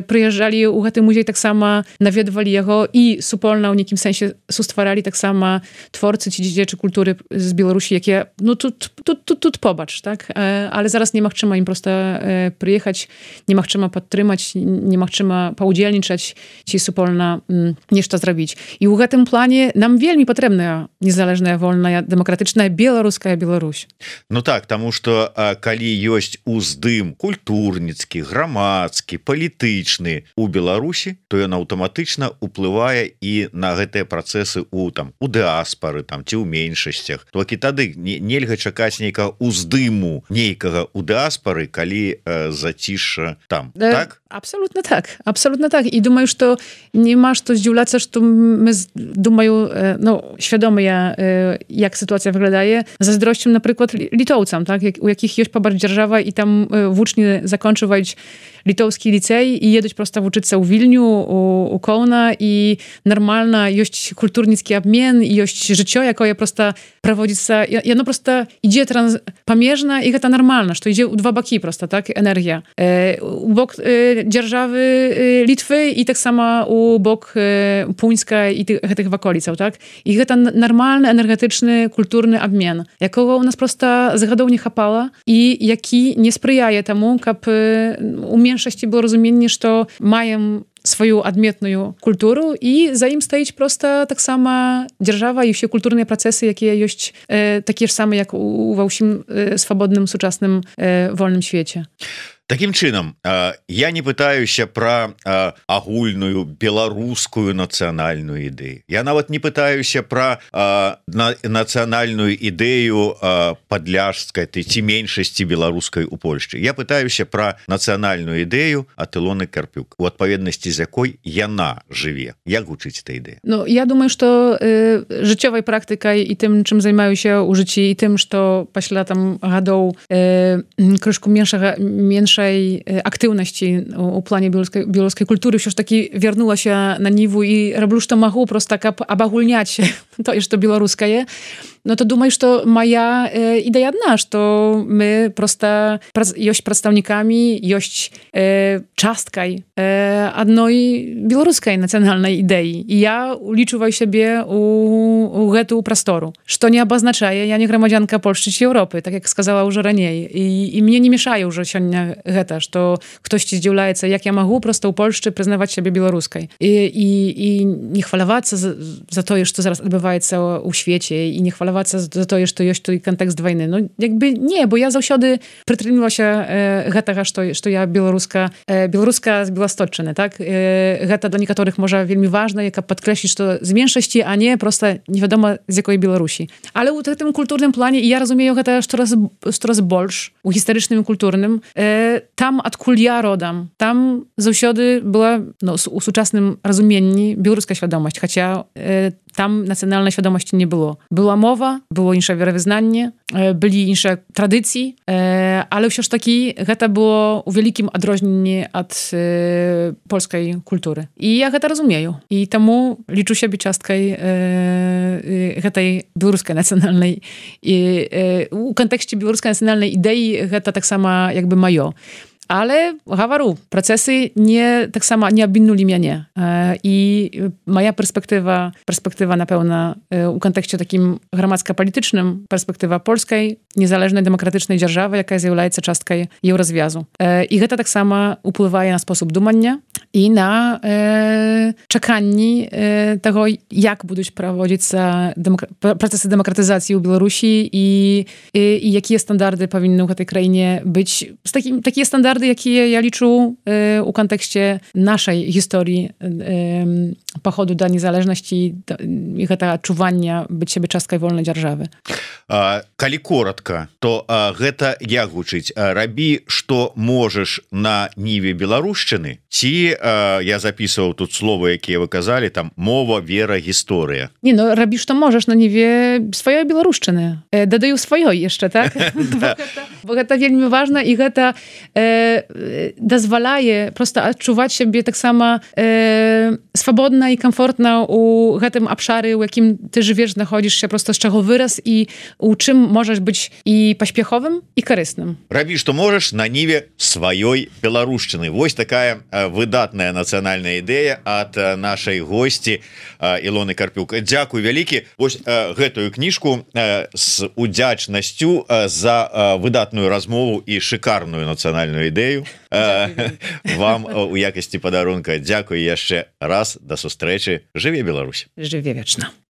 przyjeżdżali u ten muzej tak samo, nawiedwali jego i supolna w niekim sensie sustwarali tak samo twórcy ci dziedziczy kultury z Białorusi, jakie, no tu pobacz, tak? Ale zaraz nie machczyma im prosto przyjechać, nie machczyma podtrzymać, nie machczyma poudzielniczać ci supolna nieszta zrobić. I w tym planie nam wielmi potrzebna niezależna, wolna, demokratyczna, białoruska Białoruś. Ну так, тому что калі ёсць уздым культурніцкі, грамадскі, палітычны у Беларусі, то ён аўтаматычна уплывае і на гэтыя працэсы у дыаспары ці ў меншасцях. Толькі тады нельга чакаць нейкага уздыму нейкага у дыаспары, калі зацішша там. Так? Абсолютно так. И думаю, что нема што здзіўляцца, што мы, думаю, świadomy ja, jak sytuacja wyglądaje, zazdrością na przykład litowcom, tak? U jakich jest pobarć dzierżawa i tam włócznie zakończywać litowski licej i jedać prosto uczyć u Wilniu, u Kołna i normalna jest kulturnicki obmian i jest życie, jako je prosto prowadzić i ono prosto idzie pamierzna i to normalna, że to idzie u dwa boki prosto, tak? Energia. U bok dzierżawy Litwy i tak samo u bok Puńska i tych w okolicach, tak? I to normalny, energetyczny, kulturny obmian, jakiego u nas prosto zgadą nie chapała i jaki nie sprzyjaje temu, aby u mniejszości było rozumienie, że mają swoją odmietną kulturę i za im stoić prosto tak sama dzierżawa i wszystkie kulturne procesy, jakie jest takie same jak u wszystkim swobodnym, współczesnym, wolnym świecie. Такім чынам, я не пытаюся пра агульную беларускую нацыянальную ідэю. Я нават не пытаюся пра нацыянальную ідэю падляшскай ці меншасці беларускай у Польшчы. Я пытаюся пра нацыянальную ідэю ад Ілоны Карпюк, у адпаведнасці з якой яна жыве. Як гучыць эта ідэя? Я думаю, што жыццёвай практыкай і тым, чым займаюся ў жыцці, і тым, што пасля там гадоў крышку меншай aktywności u planie białoruskiej kultury już taki wiernuła się na niwu i robię, co mogę, prosto tak abagulniać to, jeszcze białoruskie. No to думаю, что моя идея одна, что мы просто есть представниками, есть часткой одной белорусской национальной идеи. И я уличиваю себе у эту простору, что не обозначает, я не громадянка Польши чи Европы, так как сказала уже ранее. И мне не мешает уже сегодня это, что ktoś здивляется, jak ja могу просто у Польши признавать себя белорусской. И не хваловаться за то, что зараз odbywaється у świecie, i nie chwalować za to, że to jest tu kontekst wojny. No jakby nie, bo ja zawsze przytrzymywała się tego, że ja białoruska z Białostocczyny, tak? Geta do niektórych może wielmi ważne, jaka podkreślić to z mniejszości, a nie prosto nie wiadomo z jakiej Białorusi. Ale u tym kulturnym planie, i ja rozumiem geta coraz больше, u historycznym i kulturnym, tam odkąd ja rodam, tam zawsze była u współczesnym rozumieniu białoruska świadomość, chociaż tam nacjonalnej świadomości nie było. Była mowa, było inne wierowyznanie, byli inne tradycje, ale wciąż taki to było u wielkim odróżnieniu od polskiej kultury. I ja to rozumiem. I temu liczę siebie cząstką tej białoruskiej nacjonalnej u kontekście białoruskiej nacjonalnej idei to tak samo jakby moje. Ale gawaru, procesy tak samo nie obwinęli mnie. I moja perspektywa na pełna w kontekście takim gromadzko-politycznym, perspektywa polskiej, niezależnej, demokratycznej dzierżawy, jaka jest częstką jej rozwiązu. I to tak samo wpływa na sposób dumania i na czekanie tego, jak będą prowadzić procesy demokratyzacji w Białorusi i jakie standardy powinny w tej krainie być. Takie standardy, jakie ja liczę u kontekście naszej historii pochodu do niezależności i czuwania być siebie częstkoj wolnej dzierżawy. Калі коротко, то гэта як гучыць? Рабі, што можаш на ніве беларушчыны? Ці я записываў тут словы, якія вы казалі, там мова, вера, гісторыя. Не, рабі, што можаш на ніве сваёй беларушчыны. Дадаю сваёй яшчэ, так? Bo гэта вельмі важна, і гэта дазваляе просто адчуваць сябе таксама swobodna i komfortna u tym obszary, u jakim ty żyjesz, znachodzisz się, prosto z czego wyraz i u czym możesz być i pośpiechowym, i korzystnym. Robisz to możesz na niwie swojej białoruszczyny. Wось такая wydatna nacjonalna idea od naszej gości Ilony Karpiuk. Dziękuję wielkie. Wось гэтую книжку z udziacznością za wydatną rozmowę i szykарную nacjonalną ideę. Вам у якості подарунка. Дякую jeszcze raz. До зустрічі. Живе Білорусь. Живе вічно.